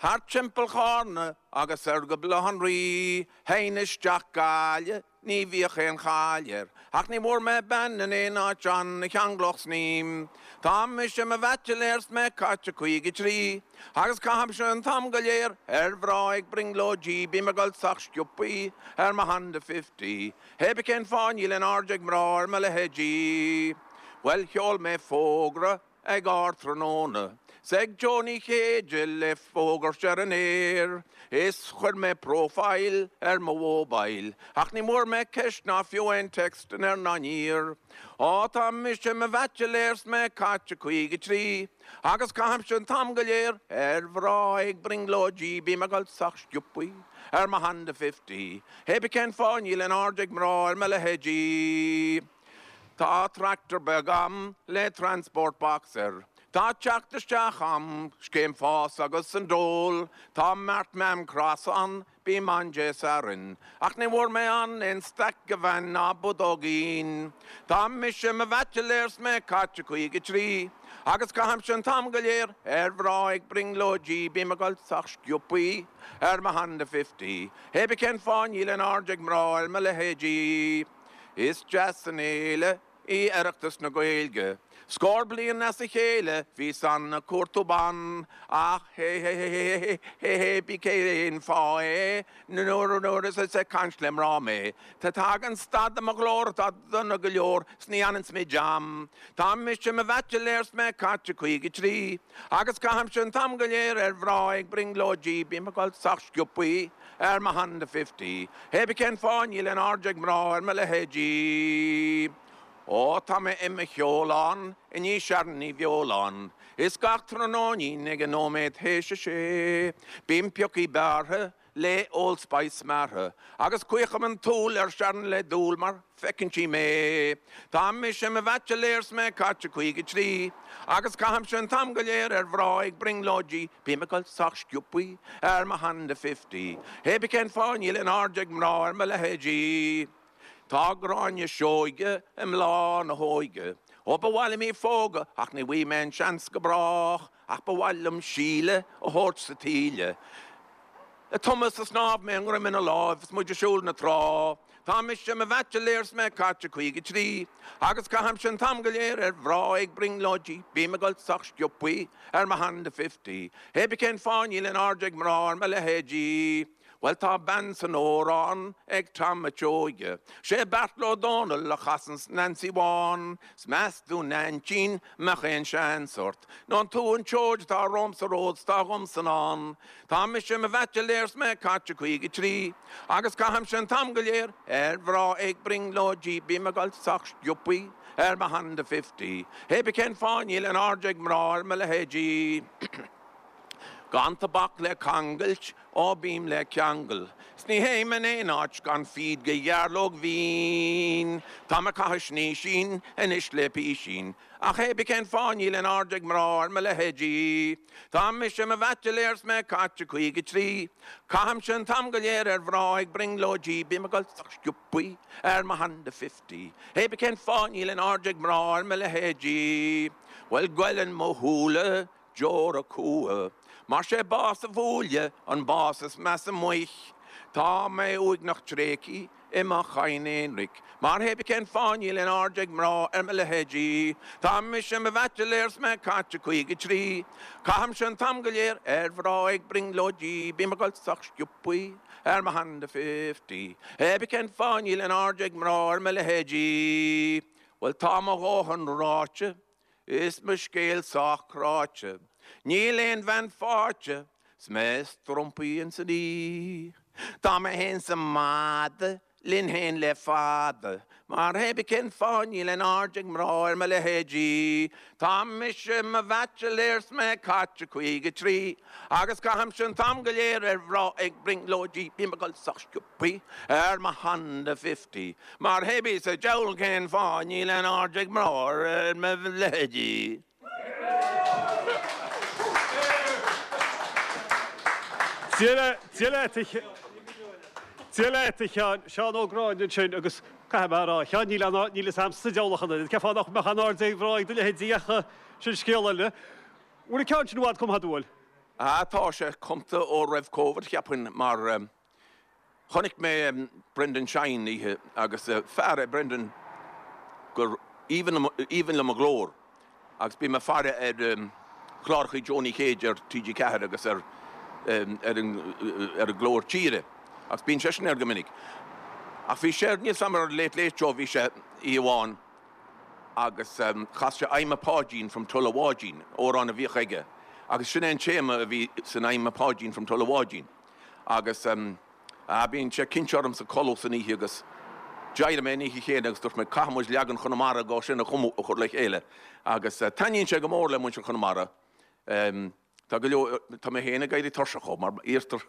thart timpeall Chárna agus soir go Baile Átha an Rí, Théinn isteach Gaillimh Ní bhíodh aon cháil air, ach ní bhfuair mé bean in aon áit ann a cheanglódh snaidhm. Tá mise i mo bhaitsiléir 's mé caite 53, agus caithimse an t-am go léir ar mhná ag brionglóidí. Bím ag dul sách sciobthaí ar mo Honda Fifty, hé bí cén fáth níl aon aird ag mná ar mo leithéidí. Bhuel sheol mé fógra ag ardtráthnóna 's ag Joe Ní Chéide le fógairt ar an aer is chuir mé profile ar mo mhobile ach ní bhfuair mé ceist ná fiú aon text anoir ná aniar. Á tá mise i mo bhaitsiléir 's mé caite 53 agus caithimse an t-am go léir ar mhná ag brionglóidí bím ag dul sách sciobthaí ar mo Honda Fifty hé bí cén fáth níl aon aird ag mná ar mo leithéidí. Tá tractor beag a'm le transport box air. Tá teacht isteach a'm, scéim fás agus an dole. Tá mart mam cross ann, bím ann Dé Sathairn. Ach ní bhfuair mé ann aon staic de bhean ná budóigín. Tá mise i mo bhaitsiléir 's mé caite 53 agus caithimse an t-am go léir ar mhná ag brionglóidí. Bím ag dul sách sciobthaí ar mo Honda Fifty. Hé bí cén fáth níl aon aird ag mná ar mo leithéidí. Is deas an fhéile í Oireachtas na Gaeilge. Scór bliain as a chéile bhíos ann ag cuartú ban, ach hé hé hé hé hé hé bí cén fáth é nuair nuair is is ag caint le mná mé tá tagann stad i mo ghlór atá dona go leor 's ní fhananns mé jam. Tá mise i mo bhaitsiléir 's mé caite 53 agus caithimse an t-am go léir ar mhná ag brionglóidí bím ag dul sách sciobthaí ar mo Honda Fifty. Hé bí cén fáth níl aon aird ag mná ar mo leithéidí. Ó tá mé i mo cheolán i ndiaidh Sharon Ní Bheoláin is gach tráthnóinín ag an nóiméad théis a sé bím piocthaí bearrtha le Old Spice smeartha agus caochaim an tsúil ar Sharon le dúil mar feiceann sí mé. Tá mise i mo bhaitsiléir 's mé caite 53 agus caithimse an t-am go léir ar mhná ag brionglóidí Bím ag dul sách sciobthaí ar mo Honda Fifty. Hé bí cén fáth níl aon aird ag mná ar mo leithéidí. Tá Gráinne Seoige i mbláth na hóige. Ó ba mhaith liom í phógadh ach ní bhfaighidh mé an seans go brách ach ba mhaith liom Síle a thabhairt sa taoille. Ag tumadh sa snámh mé ngreim ina láimh 's muid ag siúl na trá. Tá mise i mo bhaitsiléir 's mé caite 53 Agus caithimse an t-am go léir ar mhná ag brionglóidí Bím ag gol sách sciobthaí ar mo Honda Fifty Hé bí cén fáth níl aon aird ag mná ar mo leithéidí Bhuel tá bean san amhrán ag Tom a' tSeoighe 'Sé Beartla Ó Dónaill a chasanns Nancy Bhán 'S meas tú Neaintín mbeadh aon seans ort Nó an tú an tseoid atá romham sa ród 's tá dhomsa i ndán Tá mise i mo bhaitsiléir 's mé caite 53 Agus caithimse an t-am go léir ar mhná ag brionglóidí Bím ag gol sách sciobthaí ar mo Honda Fifty Hé bí cén fáth níl aon aird ag mná ar mo leithéidí Gan tobac le cangailt ó bím le ceangal 'S ní théim in aon áit gan fíd de ghearrlóg mhín Táim ag caitheamh snaoisín anois le písín Ach hé bí cén fáth níl aon aird ag mná ar mo leithéidí Tá mise i mo bhaitsiléir 's mé caite 53 Caithimse an t-am go léir ar mhná ag brionglóidí Bím ag gol sách sciobthaí ar mo Honda Fifty Hé bí cén fáth níl aon aird ag mná ar mo leithéidí Bhuel goilleann mo shúile deora cumha Mar 'sé bás a bhuaile an bás is measa amuigh Tá mé uaigneach tréigthí i mo chadhain aonraic Mar hé bí cén fáth níl aon aird ag mná ar mo leithéidí Tá mise i mo bhaitsiléir 's mé caite 53 Caithimse an t-am go léir ar mhná ag brionglóidí Bím ag gol sách sciobthaí ar mo Honda Fifty Hé bí cén fáth níl aon aird ag mná ar mo leithéidí Bhuel tá mo dhóthain ráite Is mo scéal sách cráite. Níl aon bhean faighte 's mé strompaithe ins an oíche. Tá mé fhéin 's an madadh linn fhéin le fada. Mar hé bí cén fáth níl aon aird ag mná ar mo leithéidí. Tá mise i mo bhaitsiléir 's mé caite 53 Agus caithimse an t-am go léir ar mhná ag brionglóidí Bím ag gol sách sciobthaí ar mo Honda Fifty Mar hé bí sa diabhal cén fáth níl aon aird ag mná ar mo leithéidí. Dia leat, Dia leat, a Sheáin, Seán Ó Gráinne ansin agus caithfidh mé a rá, a Sheáin, níl aon, níl fhios a'msa sa diabhal ach an oiread, cén fáth nach mbeadh aon aird ag mná ag do leithéidí ach sin scéal eile. Bhfuil an ceann sin i bhfad cumtha agat, an bhfuil? Ah, tá sé cumtha ó roimh Covid, cheapfainn, mar Chonaic mé Brendan Shine oíche agus fear é Brendan gur aoibhinn liom a ghlór agus bím ag faire ar chlárachaí Joe Ní Chéide ar TG4 agus ar ar an gClár Tíre agus bíonn seisean air go minic. Ach bhí sé, níl 's a'm ar Late Late Show bhí sé oíche amháin agus chas sé I'm a Pháidín from Tulla Bháidín, amhrán a bhíodh aige agus sin é an téama a bhí san I'm a Pháidín from Tulla Bháidín. Agus ah bíonn sé cinnte ormsa codladh san oíche agus d'éirigh mé an oíche chéanna agus dúirt mé caithfidh muid leagan Chonamara dhó sin a chumadh, a chur le chéile. Agus taitníonn sé go mór le muintir Chonamara. Tá go leor, tá mé féin ag éirí tuirseach dhó mar iarrtar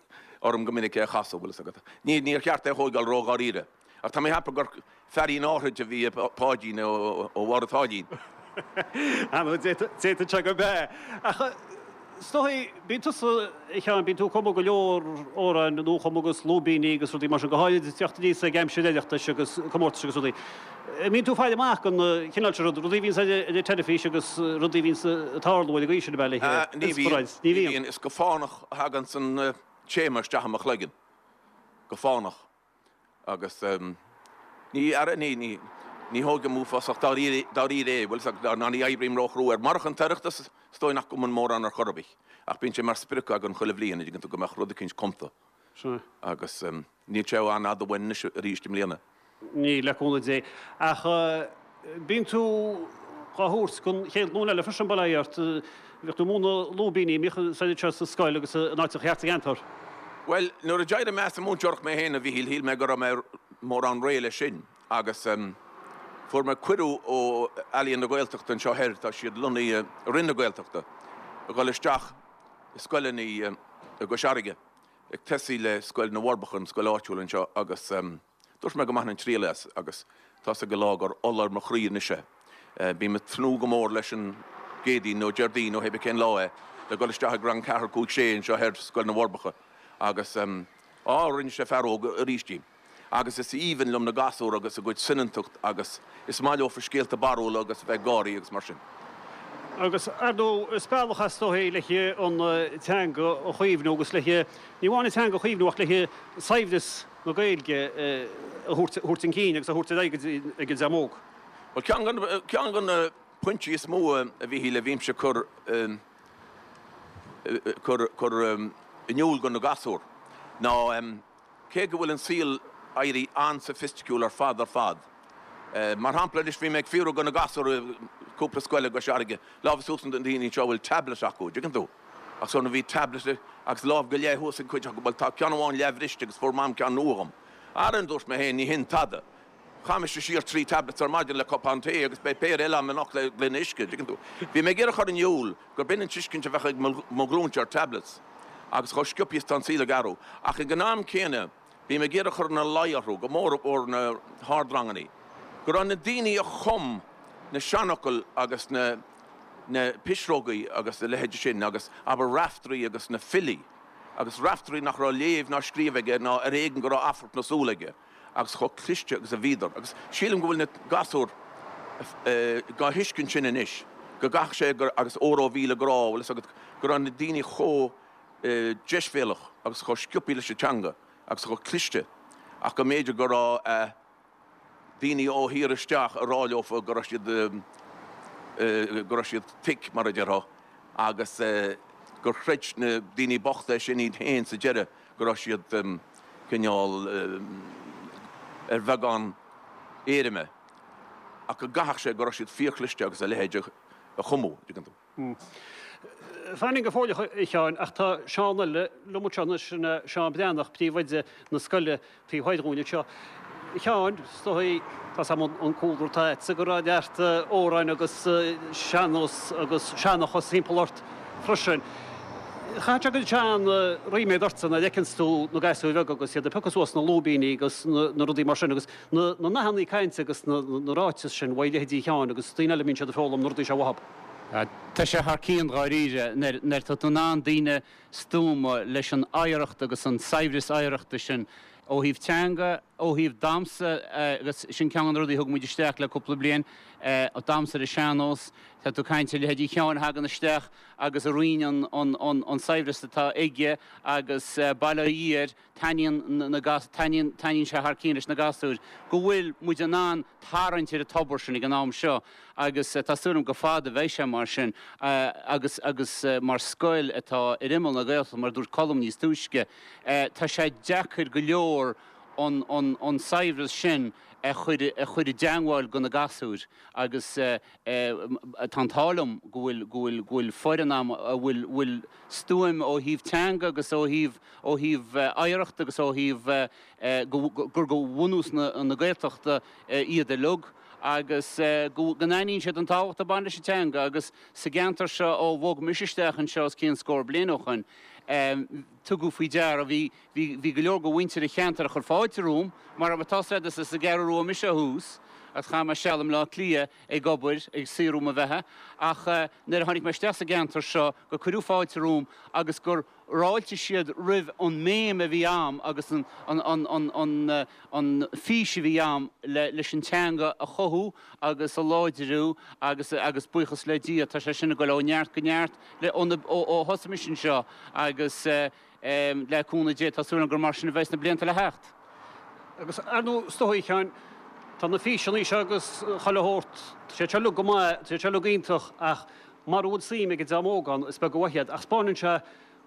orm go minic é a chasadh, bhfuil fhios agat. Ní, níor cheart é a thóigeáil ró-dháiríre. Ach tá mé ag ceapadh gur feairín áithrid a bhí i Páidín ó Bharr an tSáilín. Ar ndóigh, d'fhéadfadh sé gurb ea. Ach is dóigh, bíonn tusa, a Sheáin, bíonn tú ag cumadh go leor amhráin nuachumtha agus lúibíní agus rudaí mar sin, go háirid ag teacht aníos ag aimsir Oireachtais agus comórtais agus rudaí. An mbíonn tú ag faire amach don chineál sin rud, rudaí a bhíonns ar an teilifís agus rudaí a bhíonns ag tarlú ar an gcaoi sin, ab ea, le Ní bhíonn, ní bhíonn. Is go fánach a thaganns an téama isteach i mo chloigeann. Go fánach. Agus ní, ara, ní, ní, ní thógaim uafásach dáiríre, dáiríre é, bhfuil 's agat, ná ní oibrím róchrua air. Marach an tOireachtas, is dóigh nach gcumainn mórán ar chor ar bith. Ach bíonn sé mar sprioc agam chuile bhliain, an dtuigeann tú, go mbeadh rud eicínt cumta. Sea. Agus níl sé an-fhada uainn anois arís i mbliana. Níl, le cúnamh Dé. Ach bíonn tú dhá thabhairt don chéad ghlúin eile freisin, bail ó Dhia ort. Bhíodh tú ag múineadh lúibíní, an mbíodh said anseo sa scoil agus in áiteacha thart sa gceantar. Bhuel, nuair a d'éirigh mé as an múinteoireacht mé féin, a Mhíchíl, shíl mé go raibh mé mórán réidh leis sin agus fuair mé cuireadh ó Ealaíon na Gaeltachta anseo thoir, tá siad lonnaithe i Roinn na Gaeltachta, a dhul isteach i scoileanna i gCois Fharraige, ag tosaí le Scoil na bhForbacha, an scoil áitiúil anseo agus. Dúirt mé go mbainfinn triail as agus tá's ag an lá gur ola ar mo chroí anois é. Bím ag tnúth go mór leis an gCéadaoin nó Déardaoin nó hébé cén lá é le dhul isteach ag rang ceathair, cúig, sé anseo thoir Scoil na bhForbacha agus á, rinne sé fear óg arís díom. Agus is aoibhinn liom na gasúir agus a gcuid soineantacht agus is maith leofa scéalta barrúla agus a bheith ag gáirí agus mar sin. Agus, ar ndóigh, is bealach is dóigh le an teanga a chaomhnú agus le, ní amháin an teanga a chaomhnú ach le saibhreas na Gaeilge a thabhairt chun cinn agus a thabhairt ar aghaidh ag an dream óg. Bhuel, ceann de na pointí is mó, a Mhíchíl, a bhímse ag cur, cur in iúl do na gasúir ná cé go bhfuil an saol éirithe an-soifisticiúil ar fad ar fad, mar shampla anois bhí mé ag fiafraí de na gasúir i gcúpla scoil i gCois Fharraige, lámha suas na daoine anseo a bhfuil tablet acu, dtuigeann tú? Ach so bhí tablet agus lámh go leith thuas ag cuid acu, bhuel tá ceann amháin leathbhriste agus fuair Mam ceann nua dhom. Ara, dúirt mé féin, ní hin tada. Chaith mise siar 3 tablets ar maidin le cupán tae agus beidh péire eile agam anocht le gloine uisce, dtuigeann tú. Bhí mé ag iarraidh a chur in iúl gurb in an tuiscint a bheadh ag mo ghlúinse ar tablets agus chomh sciobtha is atá an saol ag athrú. Ach ag an am céanna, bím ag iarraidh a chur ina luí orthu, go mór mhór na hardrangannaí, go raibh na daoine a chum na seanfhocail agus na na pisreogaí agus a leithéid sin agus abair Raiftearaí agus na filí agus Raiftearaí nach raibh léamh ná scríobh aige ná ar éigean go raibh amharc na súl aige. agus chomh cliste agus a bhíodar, agus sílim go bhfuil na gasúir dhá thuiscint sin anois, go gcaithfeadh sé gur, agus óró 1000 grá, bhfuil fhios agat, go raibh na daoine chomh deisbhéalach agus chomh sciobthaí leis an teanga agus chomh cliste ach go mb'fhéidir go raibh daoine ó thír isteach ag rá leofa go raibh siad, go raibh siad thick, mar a déarfá, agus gur chreid na daoine bochta sin iad féin sa deireadh. go raibh siad cineál ar bheagán éirime ach go gcaithfeadh sé go raibh siad fíorchliste agus a leithéid a chumadh, an dtuigeann tú. Fan linn go fóill, a Sheáin, ach tá Seán eile liom anseo anois, sin é Seán Breathnach, príomhoide na scoile taobh thoir dhúinn anseo. A Sheáin, is dóigh, tá 's agam an cúlra atá agatsa, go raibh neart amhráin agus sean-nós agus seanchas timpeall ort freisin. Chaithfeadh sé go bhfuil sé an-ríméad ortsa nuair a fheiceanns tú na gasúir bheaga agus iad ag piocadh suas na lúibíní agus na rudaí mar sin agus na nathanna cainte agus na ráitis sin uaidh leithéidí Sheáin agus daoine eile a mbíonn siad ag foghlaim na rudaí seo uathub. Tá sé thar cionn dháiríre nuair atá tú in ann daoine stuama leis an oidhreacht agus an saibhreas oidhreachta sin ó thaobh teanga, ó thaobh damhsa agus sin ceann de na rudaí a thug muid isteach le cúpla bliain, damhsa ar an sean-nós, tá tú ag caint ar leithéidí Sheáin a thagann isteach agus a roinneann an saibhreas atá aige agus bail ó Dhia air, taitníonn na taitníonn taitníonn sé thar cionn leis na gasúir go bhfuil muid in ann tarraingt ar an tobar sin ag an am seo agus tá súil agam go fada bheidh sé mar sin agus agus mar scoil atá ar imeall na Gaeltachta mar a dúirt Colm níos túisce tá sé deacair go leor an an an saibhreas sin a chur a chur i dteangmháil go na gasúir agus tá an t-ádh liom go bhfuil go bhfuil go bhfuil foireann a'm a bhfuil bhfuil stuaim ó thaobh teanga agus ó thaobh ó thaobh oidhreachta agus ó thaobh go gur go bhunús na na Gaeltachta iad uilig agus go go n-aithníonn siad an tábhacht a bhain leis an teanga agus sa gceantar seo ó bhog mise isteach anseo os cionn scór bliain ó shoin tugadh faoi deara bhí bhí bhí go leor de mhuintir an cheantair a chuir fáilte romham mar tá 's agat is as an gCeathrú Rua mise ó thús agus chaith mé seal i mBleá Cliath ag obair, ag saothrú mo bheatha, ach nuair a tháinig mé isteach sa gceantar seo gur cuireadh fáilte romham agus gur fháiltigh siad roimh an mbéim a bhí a'm agus an an fís a bhí a'm leis an teanga a chothú agus a láidriú agus agus buíochas le Dia tá sé sin ag dul ó neart go neart le ó ó thosaigh mise anseo agus Le cúnamh Dé, tá súil agam gur mar sin a bheidh sna blianta le theacht. Agus ar ndóigh, is dóigh, a Sheáin, tá na físeanna seo agus chuile shórt, tá siad seo uilig go maith, tá siad seo uilig iontach ach mara bhfuil suim ag an dream óg ann, is beag an mhaith iad. Ach 'spáineann sé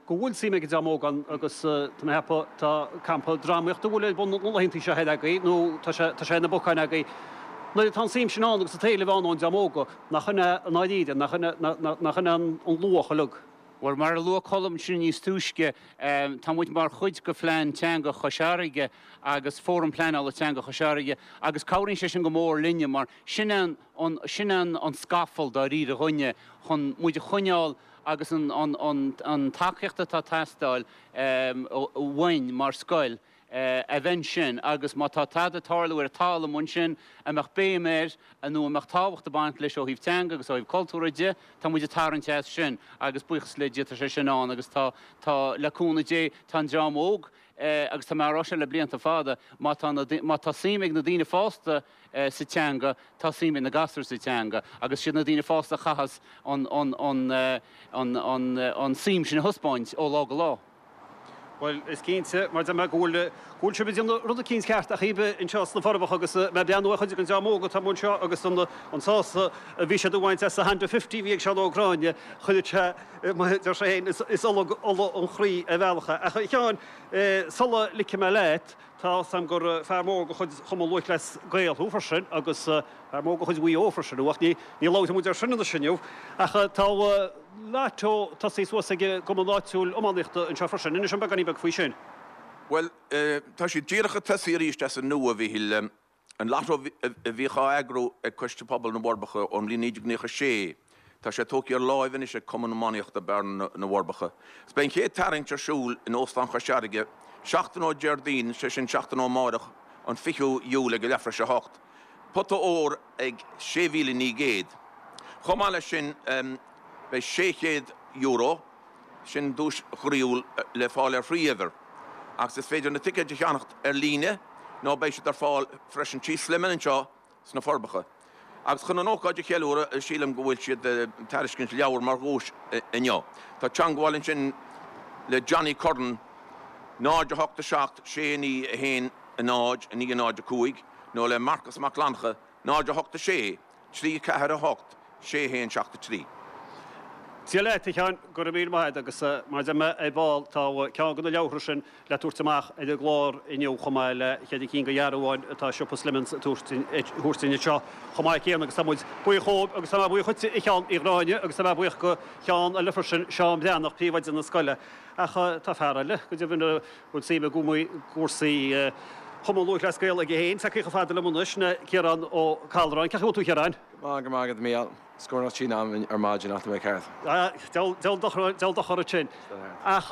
go bhfuil suim ag an dream óg ann agus tá mé ag ceapadh, tá campa drámaíochta a bhfuil ar bun na laethanta seo thoir agaibh nó tá sé, tá sé ar na bacáin agaibh. Nuair atá an suim sin ann agus an t-éileamh ann ón dream óg, nach in é i ndáiríre, nach in é, nach in é an luach uilig. Bhuel, mar a luaigh Colm ansin níos túisce, tá muid mar chuid de Phlean Teanga Chois Fharraige agus Fóram Pleanála Teanga Chois Fharraige agus cabhraíonn sé sin go mór linne mar sin é an, sin é an scafall dáiríre dhúinne chun muid a choinneáil agus an, an, an, an tacaíocht atá ag teastáil uainn mar scoil. a bheith ansin agus má tá tada ag tarlú ar an talamh ansin a mbeadh béim air nó a mbeadh tábhacht ag baint leis ó thaobh teanga agus ó thaobh cultúrtha de, tá muid ag tarraingt as sin agus buíochas le Dia tá sé sin ann agus tá, tá, le cúnamh Dé, tá an dream óg agus tá mé á rá seo le blianta fada, má tá na, má tá suim ag na daoine fásta sa teanga, tá suim ag na gasúir sa teanga agus siad na daoine fásta a chaitheas an, an, an, an, an, an suim sin a thaispeáint ó lá go lá. Bhuel, is cinnte, mar deir mé, go bhfuil, go bhfuil sibh ag déanamh rud eicínt ceart ach iad anseo sna Forbacha agus mé ag breathnú ar chuid den dream óg atá amuigh anseo agus an, an sásamh a bhí siad a bhaint as an Honda Fifty a bhí ag Seán Ó Gráinne, chuireadh sé, mar a deir sé féin, is, is olog ola an chroí ar bhealach é. Ach a Sheáin, sula ligfidh mé leat, tá 'fhios a'm gur fear mór de chuid Chumann Lúthchleas Gael thú freisin agus fear mór de chuid Mhaigh Eo freisin thú ach ní, ní labhróidh muid air sin anois inniu. Ach tá Lotto tosaithe suas ag an gcumann áitiúil iománaíochta anseo freisin. Inis dom beagáinín beag faoi sin. Bhuel, tá siad díreach ag tosaí arís as an nua, a Mhíchíl. An Lotto a bhíodh á eagrú ag Coiste Pobail na bhForbacha ón mbliain 1996, tá sé tógtha ar láimh anois ag Cumann Iománaíochta Bearna na bhForbacha. Is beidh an chéad tarraingt ar siúl in Óstán Chois Fharraige seachtain ó Déardaoin, sé sin seachtain ó amárach, an 20ú Iúil ag a leathuair tar éis a hocht. Pota óir ag 6,900. Chomh maith leis sin beidh €600, sin duais chroíúil, le fáil ar thrí uimhir agus is féidir na ticéid a cheannacht ar líne nó beidh siad ar fáil freisin tí Slimming anseo sna Forbacha. Agus chun an ócáid a cheiliúradh, sílim go bhfuil siad ag tairiscint leabhar mar dhuais inniu. Tá teangmháil ansin le Johnny Curran, 0 8 7 6 9 1 0 9 0 5, nó le Marcus Mac Fhlannchadha, 0 8 6 3 4 8 6 1 7 3. Dia leat, a Sheáin, go raibh míle maith agat agus mar a deir mé ar ball, tá ceann de na leabhartha sin le tabhairt amach ar an gclár inniu chomh maith le cheithre cinn de dhearbháin atá siopa Slimmings ag tabhairt dúinn anseo chomh maith céanna agus tá muid buíoch dhóibh agus tá mé buíoch dhuitse a Sheáin Uí Ghráinne agus tá mé buíoch go Sheán eile freisin, Seán Breathnach, príomhoide na scoile. Ach tá fear eile, go deimhin, a bhfuil suim i gcúrsaí Chumann Lúthchleas Gael aige féin, tagtha chomh fada liom anois, sin é Ciarán Ó Callráin. Cén chaoi a bhfuil tú, a Chiaráin? Go maith, go maith agat, a Mhícheáil. Scornach tinn agam ar maidin ach tá mé ceart. Deabhal dochar duit sin. Ach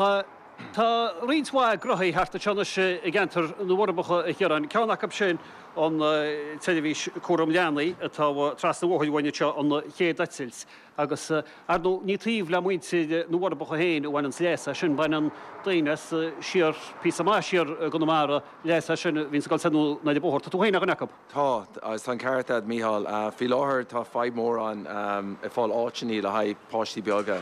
tá roinnt mhaith gnóthaí thart anseo anois i gceantar na bhForbacha, a Chiaráin. Ceann acu sin an tseirbhís cúram leanaí atá trasna an bhóthair uainn anseo, an chéad eitilt. Agus, ar ndóigh, ní taobh le muintir na bhForbacha féin a bhaineanns leas as sin, baineann daoine as siar, píosa maith siar i gConamara, leas as sin a bhíonns ag dul soir nó anoir an bóthar. Tá tú féin ar dhuine acu. Tá, agus tá an ceart agat, Mícheál. Faoi láthair tá fadhb mhór ann ag fáil áiteanna le haghaidh páistí beaga.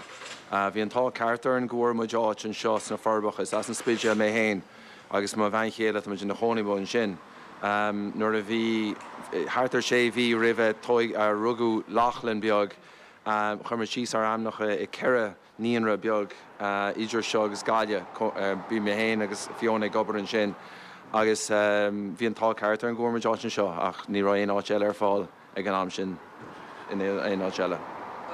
Bhí an t-ádh ceart orainn go bhfuair muid áit anseo sna Forbacha. Is as an Spidéal mé féin agus mo bhean chéile, tá muid ina chónaí amuigh ansin. Nuair a bhí thart ar sé mhí roimhe rugadh Lochlann beag, chuir muid síos ár ainmneacha i 4 naíonra beag idir seo agus Gaillimh. Bhí mé féin agus Fiona ag obair ansin agus bhí an t-ádh ceart orainn go bhfuair muid áit anseo ach ní raibh aon áit eile ar fáil ag an am sin in aon áit eile.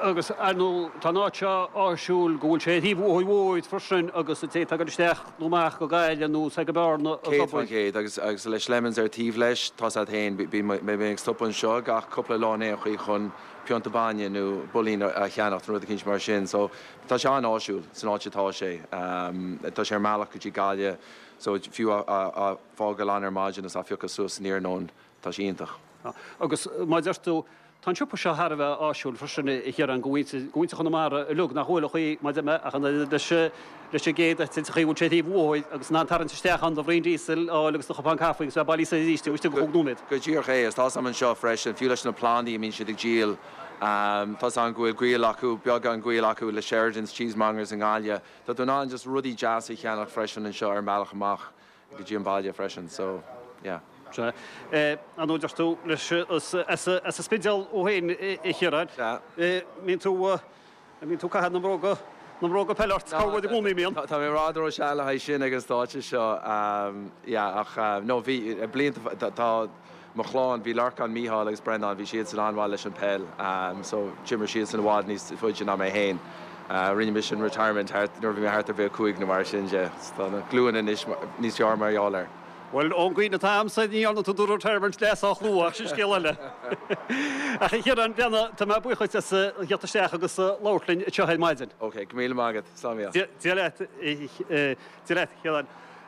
Agus, ar ndóigh, tá an áit seo áisiúil go bhfuil sé ar thaobh an bhóthair mhóir freisin agus an té atá ag dul isteach nó amach go Gaillimh nó soir go Bearna ag obair. 100% agus agus le Slemons ar taobh leis, tá's a't féin, bím ag stopadh anseo gach cúpla lá in aon chaoi chun pionta bainne nó builín a cheannacht nó rud eicínt mar sin. So tá sé an-áisiúil san áit atá sé. Tá sé ar an mbealach go dtí Gaillimh so fiú á fágáil ann ar maidin is á phiocadh suas san iarnóin, tá sé iontach. Agus mar a deir tú, tá an siopa seo thar a bheith áisiúil freisin a Chiaráin go mhuintir, go mhuintir Chonamara uilig nach bhfuil a chaoi mar a deir mé ach an oiread leis leis an gcéad eitilt an chaoi a bhfuil sé ar thaobh an bhóthair agus in ann tarraingt isteach ann do bhraon díosail a fháil agus do chupán caife agus bheith bailithe soir arís taobh istigh de chúig nóiméad. Go díreach é, agus tá's a'm anseo freisin, fiú leis na plandaí a mbíonn siad ag díol, tá's a'm go bhfuil gaol acu, beagán gaoil acu le Sheridan's Cheesemongers i nGaillimh. Tá tú in ann just rudaí deasa a cheannach freisin anseo ar an mbealach amach go dtí an baile freisin, so yeah. Sea. Ar ndóigh deir tú leis as an Spidéal thú féin a Chiaráin. Sea. Mbíonn tú An mbíonn tú ag caitheamh na mbróga, na mbróga peile ort? Cá bhfuair i gcónaí a mbíonn? Tá mé i bhfad ró-shean le haghaidh sin ag an stáitse seo, yeah, ach no, bhí, blianta, tá mo chlann, bhí Lorcán, Mícheál agus Breandán, bhí siadsan an-mhaith leis an peil, so d'imir siadsan i bhfad níos faide ná mé féin. Rinne mise an retirement thart, nuair a bhí mé thart ar 25 nó mar sin de, so tá na glúine anois níos fearr mar gheall air. Bhuel, ón gcuimhne atá a'msa, ní dhearna tú do retirement le sách luath, ach sin scéal eile. Ach a Chiaráin, Bhreathnaigh, tá mé buíoch dhuit as a theacht isteach agus labhairt linn anseo ar maidin. Ok, go míle maith agat. Slán Mícheál. Dia leat, Dia leat, a Chiaráin.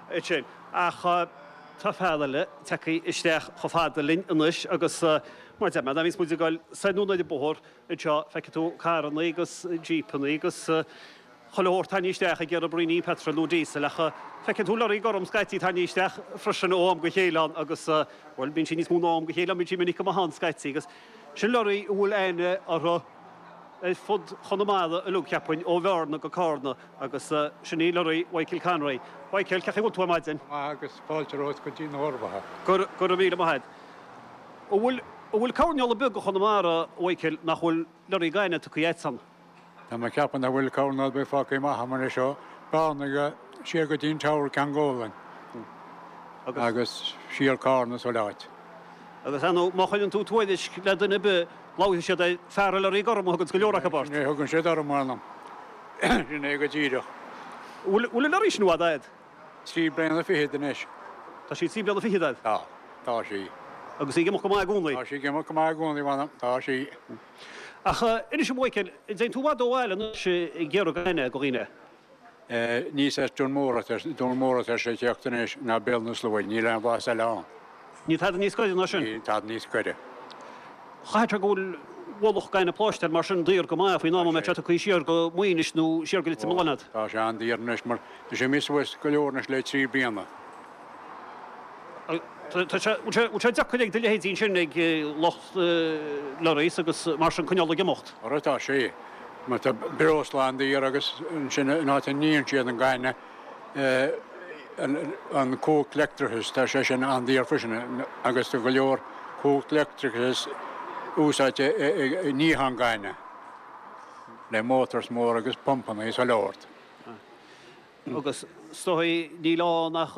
Ansin. Ach. Tá fear eile tagtha isteach chomh fada linn anois agus mar a deir mé, nuair a bhíonns muid ag dul soir anonn ar an bóthar anseo, feicfidh tú carrannaí agus jípeannaí agus chuile shórt tarraingthe isteach ag iarraidh braoinín petrol nó diesel ach feiceann tú lorraí gorm scaití tarraingthe isteach freisin ó am go chéile ann agus, bhuel, bíonn sí níos mó ná ó am go chéile ann, bíonn sí minic go maith ann scaití agus sin lorraí a bhfuil aithne orthu ar fud Chonamara uilig, cheapfainn, ó Bhearna go Carna agus sin í lorraí Mhichael Conroy. Mhichael, cén chaoi a bhfuil tú ar maidin? Go maith agus fáilte romhat go dtí na Forbacha. Go raibh míle maith agat. An bhfuil, an bhfuil coirnéal ar bith de Chonamara, a Mhichael, nach bhfuil lorraí gainimh tugtha agat ann? Tá mé ag ceapadh nach bhfuil coirnéal ar bith fágtha amach agam anois ó Bhearna go, siar go dtí an Teamhair Ceann Gólainn agus siar Carna is chuile áit. Agus ar ndóigh, má chuireann tú tuairisc le duine ar bith, labharfaidh siad ar fear an lorraí gorm a thuganns go leor acu ort. Sin é a thugann siad orm, m'anam. Sin é go díreach. Bhfuil an lorraí sin i bhfad a'd? Trí bliana fichead anois. Tá sí trí bliana fichead a'd? Tá. Tá sí. Agus í ag imeacht go maith i gcónaí? Tá sí ag imeacht go maith i gcónaí, m'anam. Tá sí. Ach inis dom, a Mhichael, an dtéann tú i bhfad ó bhaile anois ag iarraidh gainimh do dhaoine? Níos as Dún Mór atá Dún Mór atá sé ag teacht anois ná Béal na Sluaighe, níl aon bhlas eile ann. Níl tada níos gaire ná sin? Níl tada níos gaire. Chaithfeadh sé go bhfuil ualach gainimh pláisteir mar sin daor go maith faoin am a mbeidh sé tugtha siar go Muínis nó siar go Leitir Mealláin agat. Tá sé an-daor anois mar tá sé imithe suas go leor anois le trí bliana. Tá sé, bhfuil sé deacair ag do leithéidí ansin, ag lucht lorries agus mar sin coinneáil ag imeacht? Ara tá sé. Mar tá breosla an-daor agus ansin an áit a níonn siad an gaineamh, an cumhacht leictreachais, tá sé sin an-daor freisin agus tá go leor cumhacht leictreachais úsáidte ag níochán gainimh le motors mór agus pumpanna is chuile shórt. Agus is dóigh níl ann ach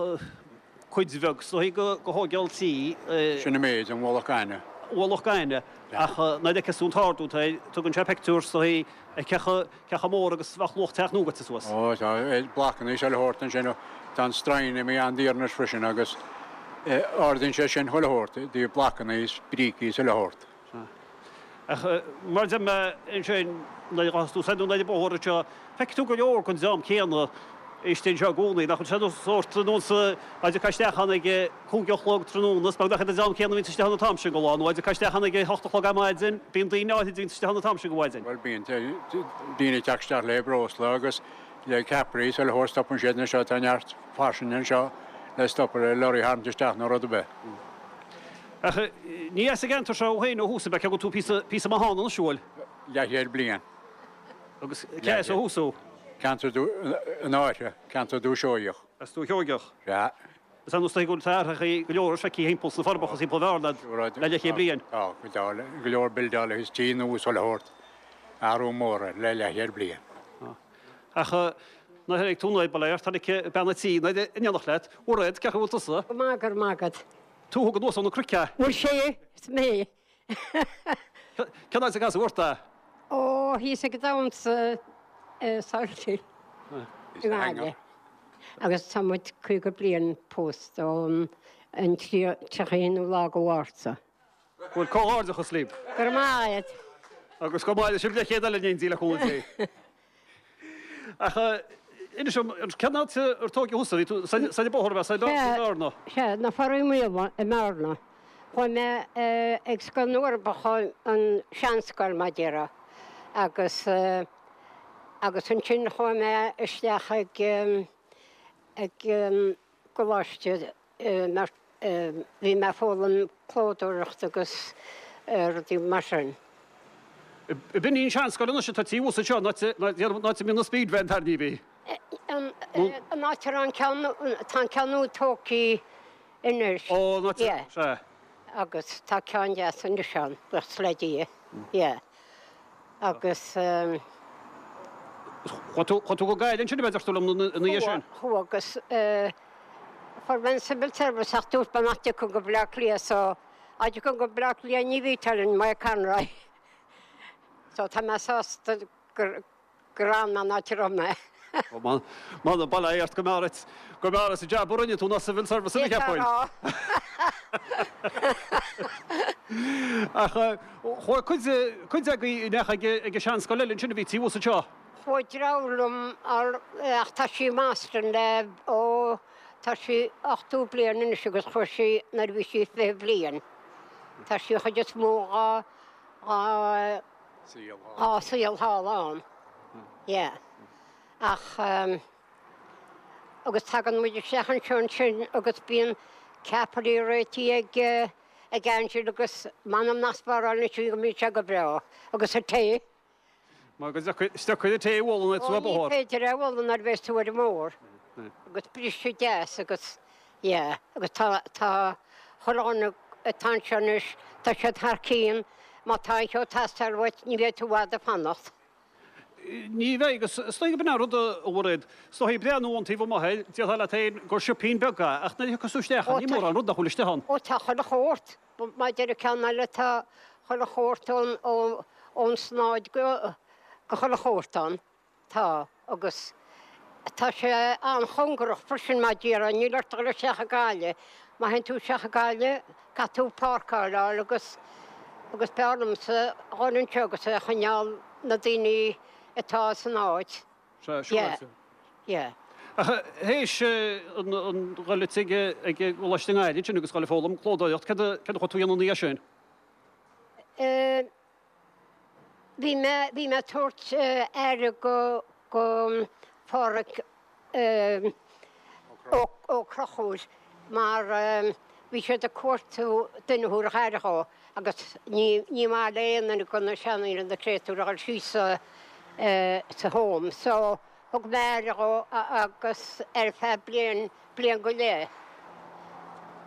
cuid bheag is dóigh de thógáil tí. Sin an méid, an mhullach gainimh. Mhullach gainimh, ach nuair a fheiceas tú an t-ardú atá air, tugann sé pictiúr is dóigh ar cé chomh mór agus a bheadh luach teach nua goite suas. Ó, tá blocanna is chuile shórt ansin, tá an stroighin imithe an-daor anois freisin agus ardaíonn sé sin chuile shórt, i dtaobh blocanna is brící is chuile shórt. Ach mar a deir mé ansin, nuair a ghabhfas tú soir anonn ar an bóthar anseo, feicfidh tú go leor den dream céanna istigh anseo i gcónaí. Nach bhfuil sé sórt ar nós a dtiocfá isteach ann ag a cúig a chlog tráthnóna, is beagnach iad an dream céanna a bhíonns istigh ann an t-am sin de lá, nó a dtiocfá isteach ann ag a hocht a chlog ar maidin, bíonn daoine áirid a bhíonns istigh ann an t-am sin de mhaidin. Bhuel, bíonn daoine ag teacht isteach le breosla agus le ceapairí is chuile shórt, stopann siad anseo, tá neart fairsing anseo le stopadh le lorry a tharraingt isteach nó rud ar bith. Ach ní as an gceantar seo thú féin ó thús, ab ea? Cé go bhfuil tú píosa, píosa maith ann anois, an bhfuil? Leathchéad bliain. Agus cé as ó thús thú? Ceantar an Fháirche, ceantar Dúiche Sheoigheach. As Dúiche Sheoigheach? Sea. Is ar nós go bhfuil athraithe go leor feicthe thimpeall sna Forbacha is thimpeall Bhearna le leathchéad bliain. Tá, tá, go leor buildeála agus tí nua is chuile shórt, athrú mór le leathchéad bliain. Ach nuair a tháinig tú nuair ba léir, tháinig bean an tí nuair in éineacht leat, Mhairéad, cén chaoi a bhfuil tusa? Go maith, go raibh maith agat. Tú a thug anuas ó na cnoic é. Bhuel sé, is mé. Cén áit a casadh ort é? Ó, thíos ag an damhsa Salthill i nGaillimh. Agus tá muid 50 bliain pósta ón an 31ú lá de Mhárta. Bhuel, comhghairdeachas libh. Go raibh maith agat. Agus go maire sibh le chéad eile in éindí le cúnamh Dé. Ach inis dom, cén áit ar tóigeadh thusa? Bhí tú soir an bóthar ab ea, soir i mBearna? Sea, na Foraí Maola i mBearna. Chuaigh mé ag Scoil na bhForbacha, an seanscoil mar a déarfá, agus agus ansin chuaigh mé isteach ag ag gcoláiste mar bhí mé ag foghlaim clódóireacht agus rudaí mar sin. B'in í an seanscoil anois atá taobh thuas anseo, an áit a mbíonn an speed van tarraingthe. An áit a raibh an ceann, tá an ceann nua tógtha anois. Ó, an áit, sea. Agus tá ceann deas anois ann, buíochas le Dia, yeah. Agus. Chuaigh tú, chuaigh tú go Gaillimh ansin, ab ea, deir tú liom ina dhiaidh sin? Chuaigh, agus fuair mé an Civil Service ach dúirt mé nach dtiocfainn go Baile Átha Cliath so dá dtiocfainn go Baile Átha Cliath ní bhítear in Maigh Conroy. So tá mé sásta gur gur fhan mé an áit a raibh mé. M'anam, bail ó Dhia ort go mb'fhearr duit, go mb'fhearr duit an jab a rinne tú ná Civil Service a cheapfainn. Ach chuaigh cuid, cuid agaibh an ea ag ag an seanscoil eile ansin a bhí taobh thuas anseo. Chuaigh deartháir liom ach tá sí i mBoston le, ó. Tá sí 80 bliain anois agus chuaigh sí nuair a bhí sí 20 bliain. Tá sí an chuid is mó dhá, dhá, dhá saol thall ann. Yeah. Ach agus tagann muid isteach anseo ansin agus bíonn ceapairí réitithe ag, ag Angela agus m'anam nach spárálann sí go mbíonn sé go breá. Agus an tae. Mar go dtiocfaidh an tae a bhualadh nuair atá tú ar bóthar. Ó ní féidir é a bhualadh nuair a bheas tú ar an mbóthar. Agus briseadh deas agus yeah agus tá tá chuile dhuine atá anseo anois tá siad thar cionn má tá aon cheo ag teastáil uait ní bheidh tú i bhfad ag fanacht. Ní bheidh agus is dóigh gurb in an rud a Mhairéad, is dóigh breathnú ón taobh amuigh air, déarfá leat féin gur siopaín beag é ach nuair a thiocfas tú isteach ann ní mórán rud nach bhfuil istigh ann. Ó tá chuile shórt. Mar a deir an ceann eile tá chuile shórt ón snáid go chuile shórt ann. Tá, agus tá sé an-chóngarach freisin mar a déarfá, níl ort a dhul isteach i Gaillimh. Má théann tú isteach i Gaillimh, caithfidh tú páirceáil a fháil agus agus b'fhearr liomsa a dhul anseo agus a choinneáil na daoine atá san áit. Sea, siúráilte. Yeah. Ach théis an dhul ag ag an gcoláiste i nGaillimh ansin agus dhul ag foghlaim clódóireacht, céard a céard a chuaigh tú a dhéanamh ina dhiaidh sin? Eh, bhí mé, bhí mé ag tabhairt aire go, go Phádraic eh, Ó, Ó Conchúir mar eh, bhí siad ag cuartú duine a thabharfadh aire dhó agus ní, ní maith le aon duine de na seandaoine na créatúir a dhul síos sa, eh, sa home. So, Thug mé aire dhó agus ar feadh bliain, bliain go leith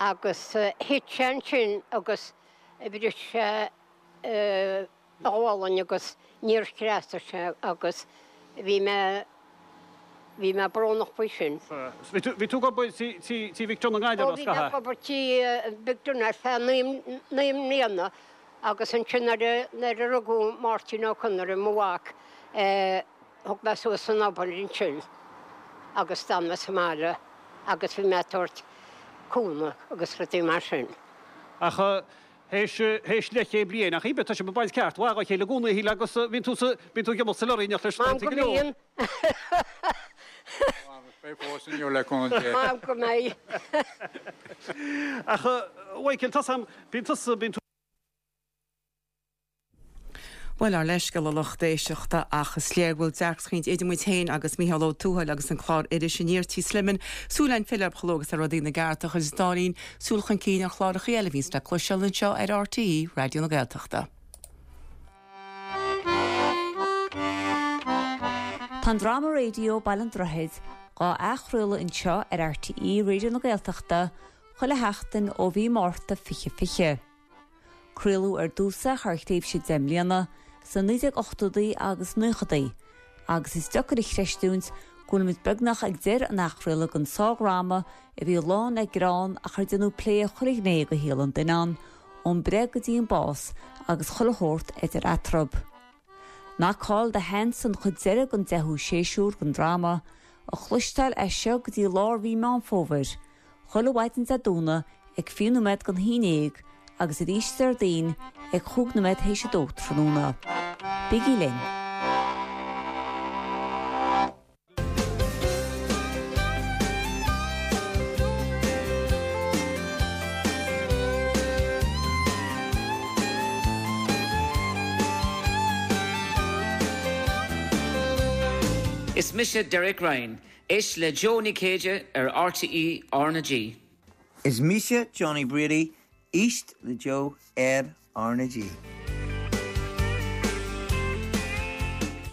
agus thit sé ansin agus bhris sé a ghualainn agus níor threasaigh sé agus bhí mé, bhí mé brónach faoi sin. Bhí tú, bhí tú ag obair tí, tí, tí Mhic Donagh i nGaillimh, Ó bhí mé ag obair tí Mhic Donagh ar feadh naoi, naoi mbliana agus ansin nuair a, nuair a rugadh Máirtín Ó Conaire, mo mhac, Thug mé suas an obair ansin agus d'fhan mé sa mbaile agus bhí mé ag tabhairt cúnamh agus rudaí mar sin. Ach théis, théis leathchéad bliain, ach íbe, tá sibh ag baint ceart mhaith dhá chéile i gcónaí, a Shíle, agus bíonn tú sa, bíonn tú ag imeacht sa lorry in éineacht leis M'anam go go leor. mbíonn. Beidh fós inniu le cúnamh Dé. M'anam go mbeidh. Ach, a Mhichael, tá 's a'm, bíonn tusa, bíonn tú. Bhuel, ár leithscéal a lucht éisteachta, ach is léir go bhfuil deacracht idir muid féin agus Micheál Ó Tuathail agus an clár Iris Aniar Tí Sliman. Súil againn filleadh orthu chomh luath agus tá rudaí ina gceart ach idir an dá linn, súil chun cinn ar chlárachaí eile a bhíonns le cloisteáil anseo ar RTÉ Raidió na Gaeltachta. Tá an dráma raidió Baile an Droichid dhá athchraoladh anseo ar RTÉ Raidió na Gaeltachta chuile sheachtain ó mhí Márta 2020. Craoladh ar dtús é thar thréimhse 10 mbliana, sna 1980idí agus 90idí, agus is deacair a chreistiúint go bhfuilimid beagnach ag deireadh an athchraoladh den sárdhráma a bhí lán le greann ach ar déanadh plé ar chuile ghné de shaol an duine ann, ón mbreith go dtí an bás agus chuile shórt idir eatarthu. Knock All the Hands an chuid deiridh den deichiú séasúr den dráma, a chloisteáil as seo go dtí lár mhí Meán Fómhair, Chuile mhaidin Dé Domhnaigh ag 20 nóiméad don 11 agus arís Déardaoin ag chúig nóiméad théis a dó tráthnóna. Bígí linn! Is mise Derek Ryan Éist le Joe Nic Céide ar RTÉ R na G. Is mise Johnny Brady, éist le Joe ar R na G.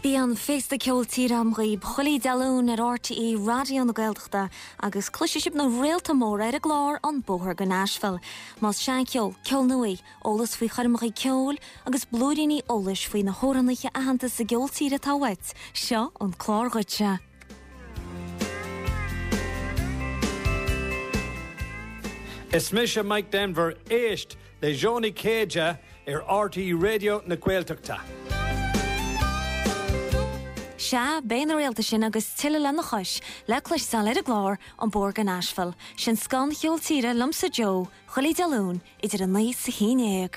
Bíonn Féasta Ceol Tíre agam dhaoib chuile Dé Luain ar RTÉ Raidió na Gaeltachta agus cloisfidh sibh na réalta móra ar an gclár An Bóthar go Nashville. Más seancheol, ceol nua, eolas faoi choirmeacha ceoil agus blúiríní eolais faoi na hamhránaithe aitheanta sa gceol tíre atá uait, seo an clár dhuitse. Is mise Mike Denver, éist le Joe Nic Céide ar RTÉ Raidió na Gaeltachta. Sea, beidh na réalta sin agus tuilleadh lena chois le cloisteáil ar an gclár An Bóthar go Nashville. Sin scoth an cheoil tíre liomsa Joe, chuile Dé Luain idir 9 's 11.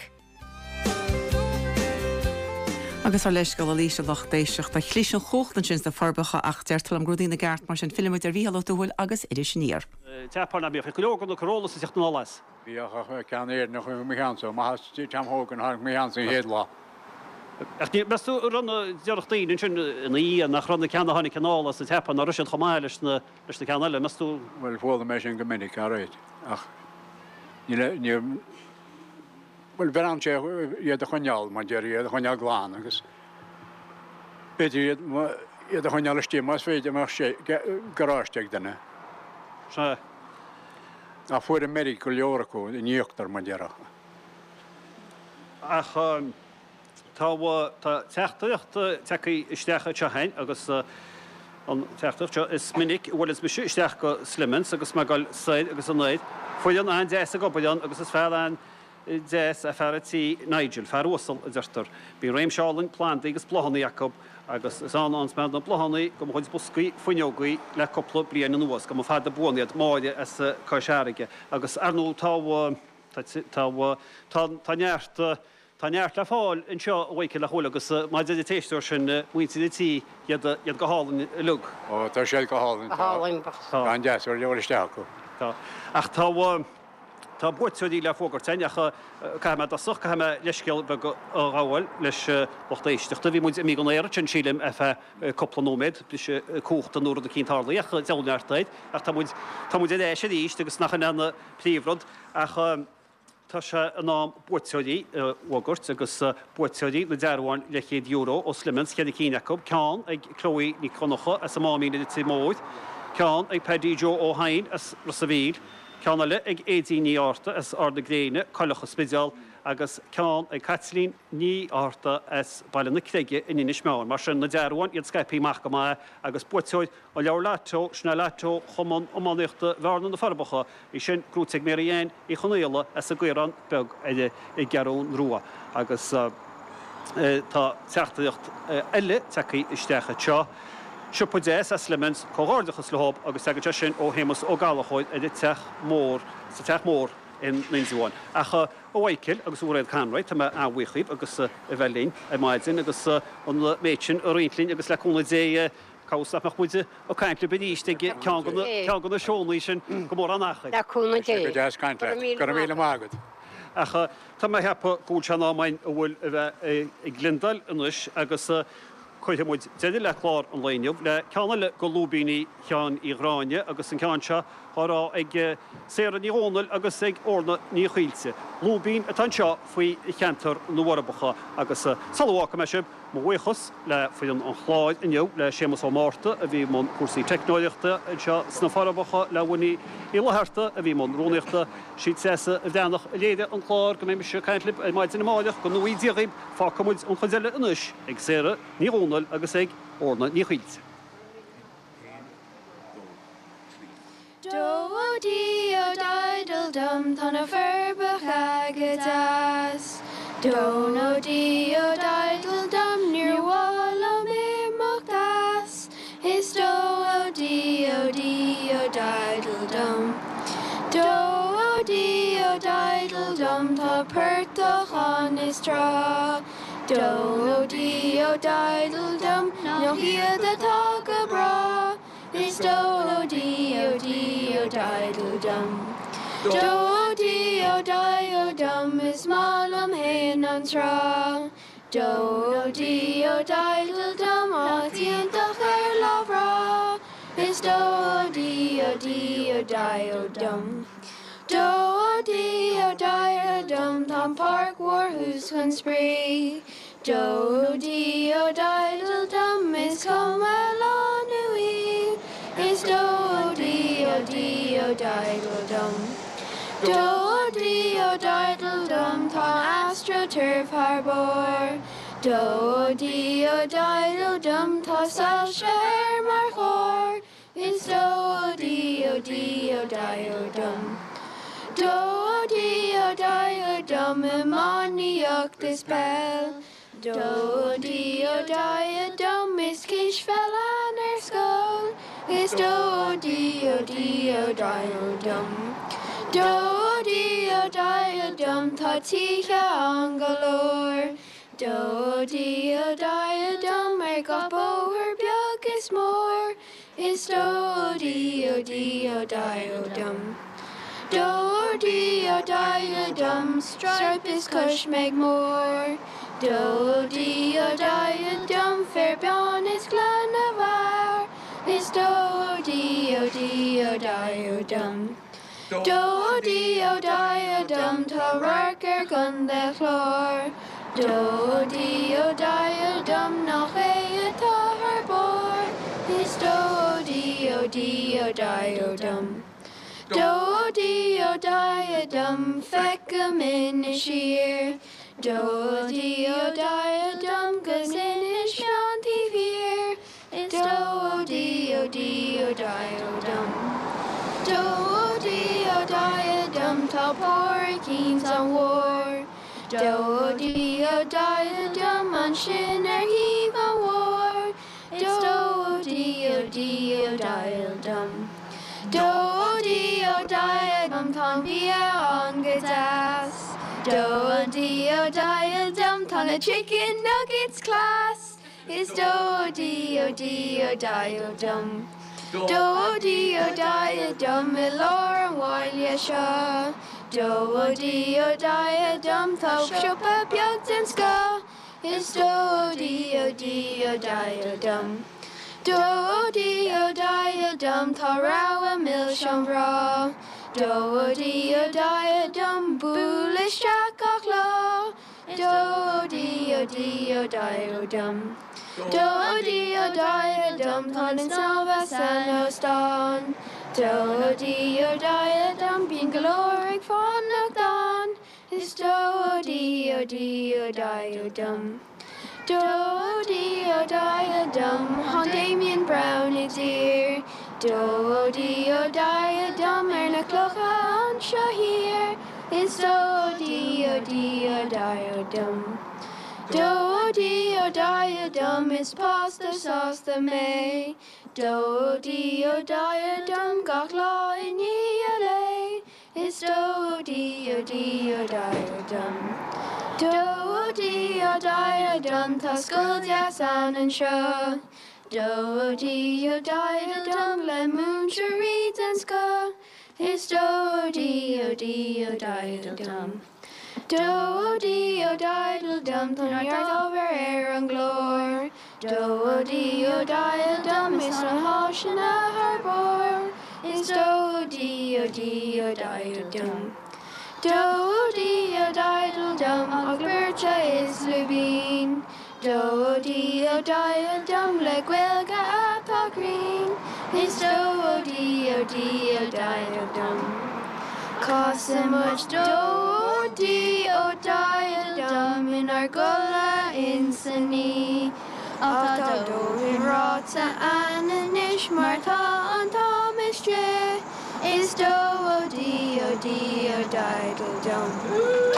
Agus ár leithscéal arís a lucht éisteachta. Chlis an chumhacht ansin sna Forbacha ach deirtear liom go raibh rudaí ina gceart mar sin fillfidh muid ar Mhícheál Ó Tuathail agus Iris Aniar. tSeapáin, ná bíodh? Bhíodh go leor de na Corollas ag teacht anall as. Bhíodh ach ceann Éireannach i mo cheannsa, amach as Tom Hogan a tháinig mo cheannsa an chéad lá. Ach ní, meas tú an raibh na, déarfadh daoine ansin ina dhiaidh nach raibh na ceanna a tháinig anall as an tSeapáin, nach raibh siad chomh maith leis na, leis na ceanna eile, meas tú? Bhuel, chuala mé sin go minic, alright, ach níl, níor, bhuel, bheinn ann sé iad a choinneáil, mar déarfaí, iad a choinneáil glan agus b'fhéidir iad, iad a choinneáil istigh más féidir, má bheadh sé, garáiste ag duine. Sea. Ach fuair an meirg go leor acu in íochtar, mar déarfá. Ach tá, tá teachtaireacht tagtha isteach anseo againn agus an teachtaireacht seo, is minic a bhuaileanns mise isteach go Slimmans agus mé ag dul soir agus anoir. Foireann an-deas ag obair ann agus is fear an. deas é fear an tí, Nigel, fear uasal, a deirtear. Bíonn réimse álainn plandaí agus bláthanna acu agus is ann a fhaigheanns mé na bláthanna do mo chuid boscaí fuinneogaí le cúpla bliain anuas, go mba fada buan iad, Máire as Cois Fharraige. Agus, ar ndóigh, tá, tá, tá, tá neart, tá neart le fáil anseo, a Mhichael, nach bhfuil, agus mar a deir an t-éisteoir sin, muintir an tí, iad, iad go hálainn uilig. Ó, tá siad go hálainn, tá. Go hálainn, tá. An-deas a dhul isteach acu. Tá. Ach tá. Tá buaiteoirí le fógairt againn ach caithfidh mé i dtosach, caithfidh mé leithscéal beag a ghabháil leis lucht éisteachta. Bhí muid imithe den aer ansin, sílim, ar feadh cúpla nóiméad, briseadh cumhachta nó rud eicínt tarlaithe ach deabhal neart air. Ach tá muid, tá muid ar ais arís agus nach in é an príomhrud ach tá sé in am buaiteoirí a fhógairt agus buaiteoirí na dearbháin leathchéad euro ó Slimmans, cheithre cinn acu, ceann ag Chloe Nic Dhonncha as an Máimín i Leitir Móir, ceann ag Paddy Joe Ó hEidhin as Ros a' Mhíl, ceann eile ag Aedín Ní Fhátharta as Ard na Gréine, Coileach an Spidéal, agus ceann ag Caitlín Ní Fhátharta as Baile na Creige in Inis Meáin. Mar sin, na dearbháin, iad scaipthe amach go maith agus buaiteoir an leabhair Lotto, sin é Lotto Chumann Iománaíochta Bhearna na Forbacha, í sin gnóite ag Mary Ann Uí Chonaola as an gCaorán Beag ar an gCeathrún Rua. Agus tá teachtaireacht eile tagtha isteach anseo. Siopa deas é Slimmans, comhghairdeachas leob agus tagann sé sin ó Shéamus Ó Gallchóir ar an Teach Mór, sa Teach Mór in Indreabhán. Ach a Mhichael agus a Mhairéad Conroy, tá mé an-bhuíoch dhíbh agus a bheith linn ar maidin agus an méid sin a roinnt linn agus le cúnamh Dé cá bhfios nach mbeadh muid ag caint libh arís ag ceann de na ceann de na seónna sin go mórán achair. Le cúnamh Dé. Go deas caint leat. Go raibh míle maith agat. Ach tá mé ag ceapadh go bhfuil sé in am againn a bhfuil a bheith ag gliondáil anois agus Cuirfidh muid deireadh le clár an lae inniu le ceann eile de lúibíní Sheáin Uí Ghráinne agus an ceann seo á rá ag Sarah Ní Dhomhnaill agus ag Orna Ní Chaoilte. Lúibín atá anseo faoi cheantar na bhForbacha agus sula bhfágfaidh mé sibh, mo bhuíochas le foireann an chláir inniu, le Séamus Ó Márta a bhí i mbun cúrsaí teicneoireachta anseo sna Forbacha, le Winnie Uí Fhlatharta a bhí i mbun rúnaíochta, sí Treasa Bhreathnach a léirigh an clár. Go mbeidh mise ag caint libh ar maidin amáireach, go ngnóthaí Dia dhaoibh. Fágfaidh muid an chuid eile anois ag Sarah Ní Dhomhnaill agus ag Orna Ní Chaoilte. Do ó dí ó diddle dum tá na Forbacha go deas. Do nó dí ó diddle dum níor mhaith liom imeacht as. Is do ó dí ó dí ó diddle dum. Do ó dí ó diddle dum tá portach ann is trá. Do ó dí ó diddle dum nach iad atá go breá. Is do ó dí ó dí ó diddle dum. Do ó dí ó di ó dum is maith liom fhéin an trá. Do ó dí ó diddle dum áit iontach ar lá bhreá is do ó dí ó dí ó di ó dum. Do ó dí ó di ó dum tá an pháirc mhór thuas chun spraoi. Do ó dí ó diddle dum is cuma lá nó oíche is do ó dí ó dí ó diddle dum. Do ó dí ó diddle dum tá an astroturf thar barr. Do ó dí ó diddle dum tá soilse air mar chóir is do ó dí ó dí ó di ó dum. Do ó dí ó di ó dum iománaíocht is peil. Do ó dí ó di ó dum is cispheil ann ar scoil is do ó dí ó dí ó di ó dum. Do ó dí ó di ó dum tá tithe ann go leor. Do ó dí ó di ó dum ar gach bóthar beag is mór. Is dó ó dí ó dí ó dai ó dum. Dó ó dí ó dai ó dum, stripe is cois Meg Mór. Dó ó dí ó dai ó dum, féar bán is gleann na bhfear. Is dó ó dí ó dí ó dai ó dum. Dó ó dí ó dai ó dum, tá radharc ar Chontae Chláir. Dó ó dí ó dai ó dum, nach é atá thar barr. Is dó ó dí ó dí ó dai ó dum. Dó ó dí ó dai ó dum, feicim Inis Oírr. Dó ó dí ó dai ó dum, 'gus Inis Meáin taobh thiar. Is dó ó dí ó dí ó dai ó dum. Dó ó dí ó dai ó dum tá Pádraig ins an mhór. Dó ó dí ó dai ó dum ansin ar thaobh an mhór. Is dó ó dí ó dí ó dai ó dum. Dó ó dí ó dai ó dum tá an bia ann go deas. Dó ó dí ó dai ó dum tá na chicken nuggets class. Is dó ó dí ó dí ó dai ó dum. Dó ó dí ó dai ó dum i lár an bhaile seo. Dó ó dí ó dai ó dum tá siopa beag den scoth. Is dó ó dí ó dí ó dai ó dum. Dó ó dí ó dai ó dum tá rogha milseán bhreá. Dó ó dí ó dai ó dum buail isteach gach lá. Dó ó dí ó dí ó dai ó dum. Dó ó dí ó dai ó dum tá linn snámha san óstán. Dó ó dí ó dai ó dum bíonn go leor ag fanacht ann. Is dó ó dí ó dí ó dai ó dum. Dó ó dí ó dai ó dum thá'n Damien Brown i dtír. Dó ó dí ó dai ó dum ar na clocha anseo thiar. Is dó ó dí ó dí ó dai ó dum. Dó ó dí ó dai ó dum is páiste sásta mé. Dó ó dí ó dai ó dum gach lá i ndiaidh an lae. Is dó ó dí ó dí ó dai ó dum. Dó ó dí ó dai ó dum tá scoil deas ann anseo. Dó ó dí ó dai ó dum le múinteoirí den scoth. Is dó ó dí ó dí ó dai ó dum. Dó ó dí ó dai ó dum tá neart ábhar ar an gclár. Dó ó dí ó dai ó dum is na háiseanna thar barr. Is dó ó dí ó dí ó dai ó dum. Dó ó dí ó dai ó dum ach beirte is lúibín. Dó ó dí ó dai ó dum le Gaeilge atá cruinn. Is dó ó dí ó dí ó dai ó dum. Casann muid dó ó dí ó dai ó dum inár gcodladh insan oíche. Ach tá dóthain ráite a'inn anois mar tá an t-am istigh. Is dó ó dí ó dí ó dai ó dum.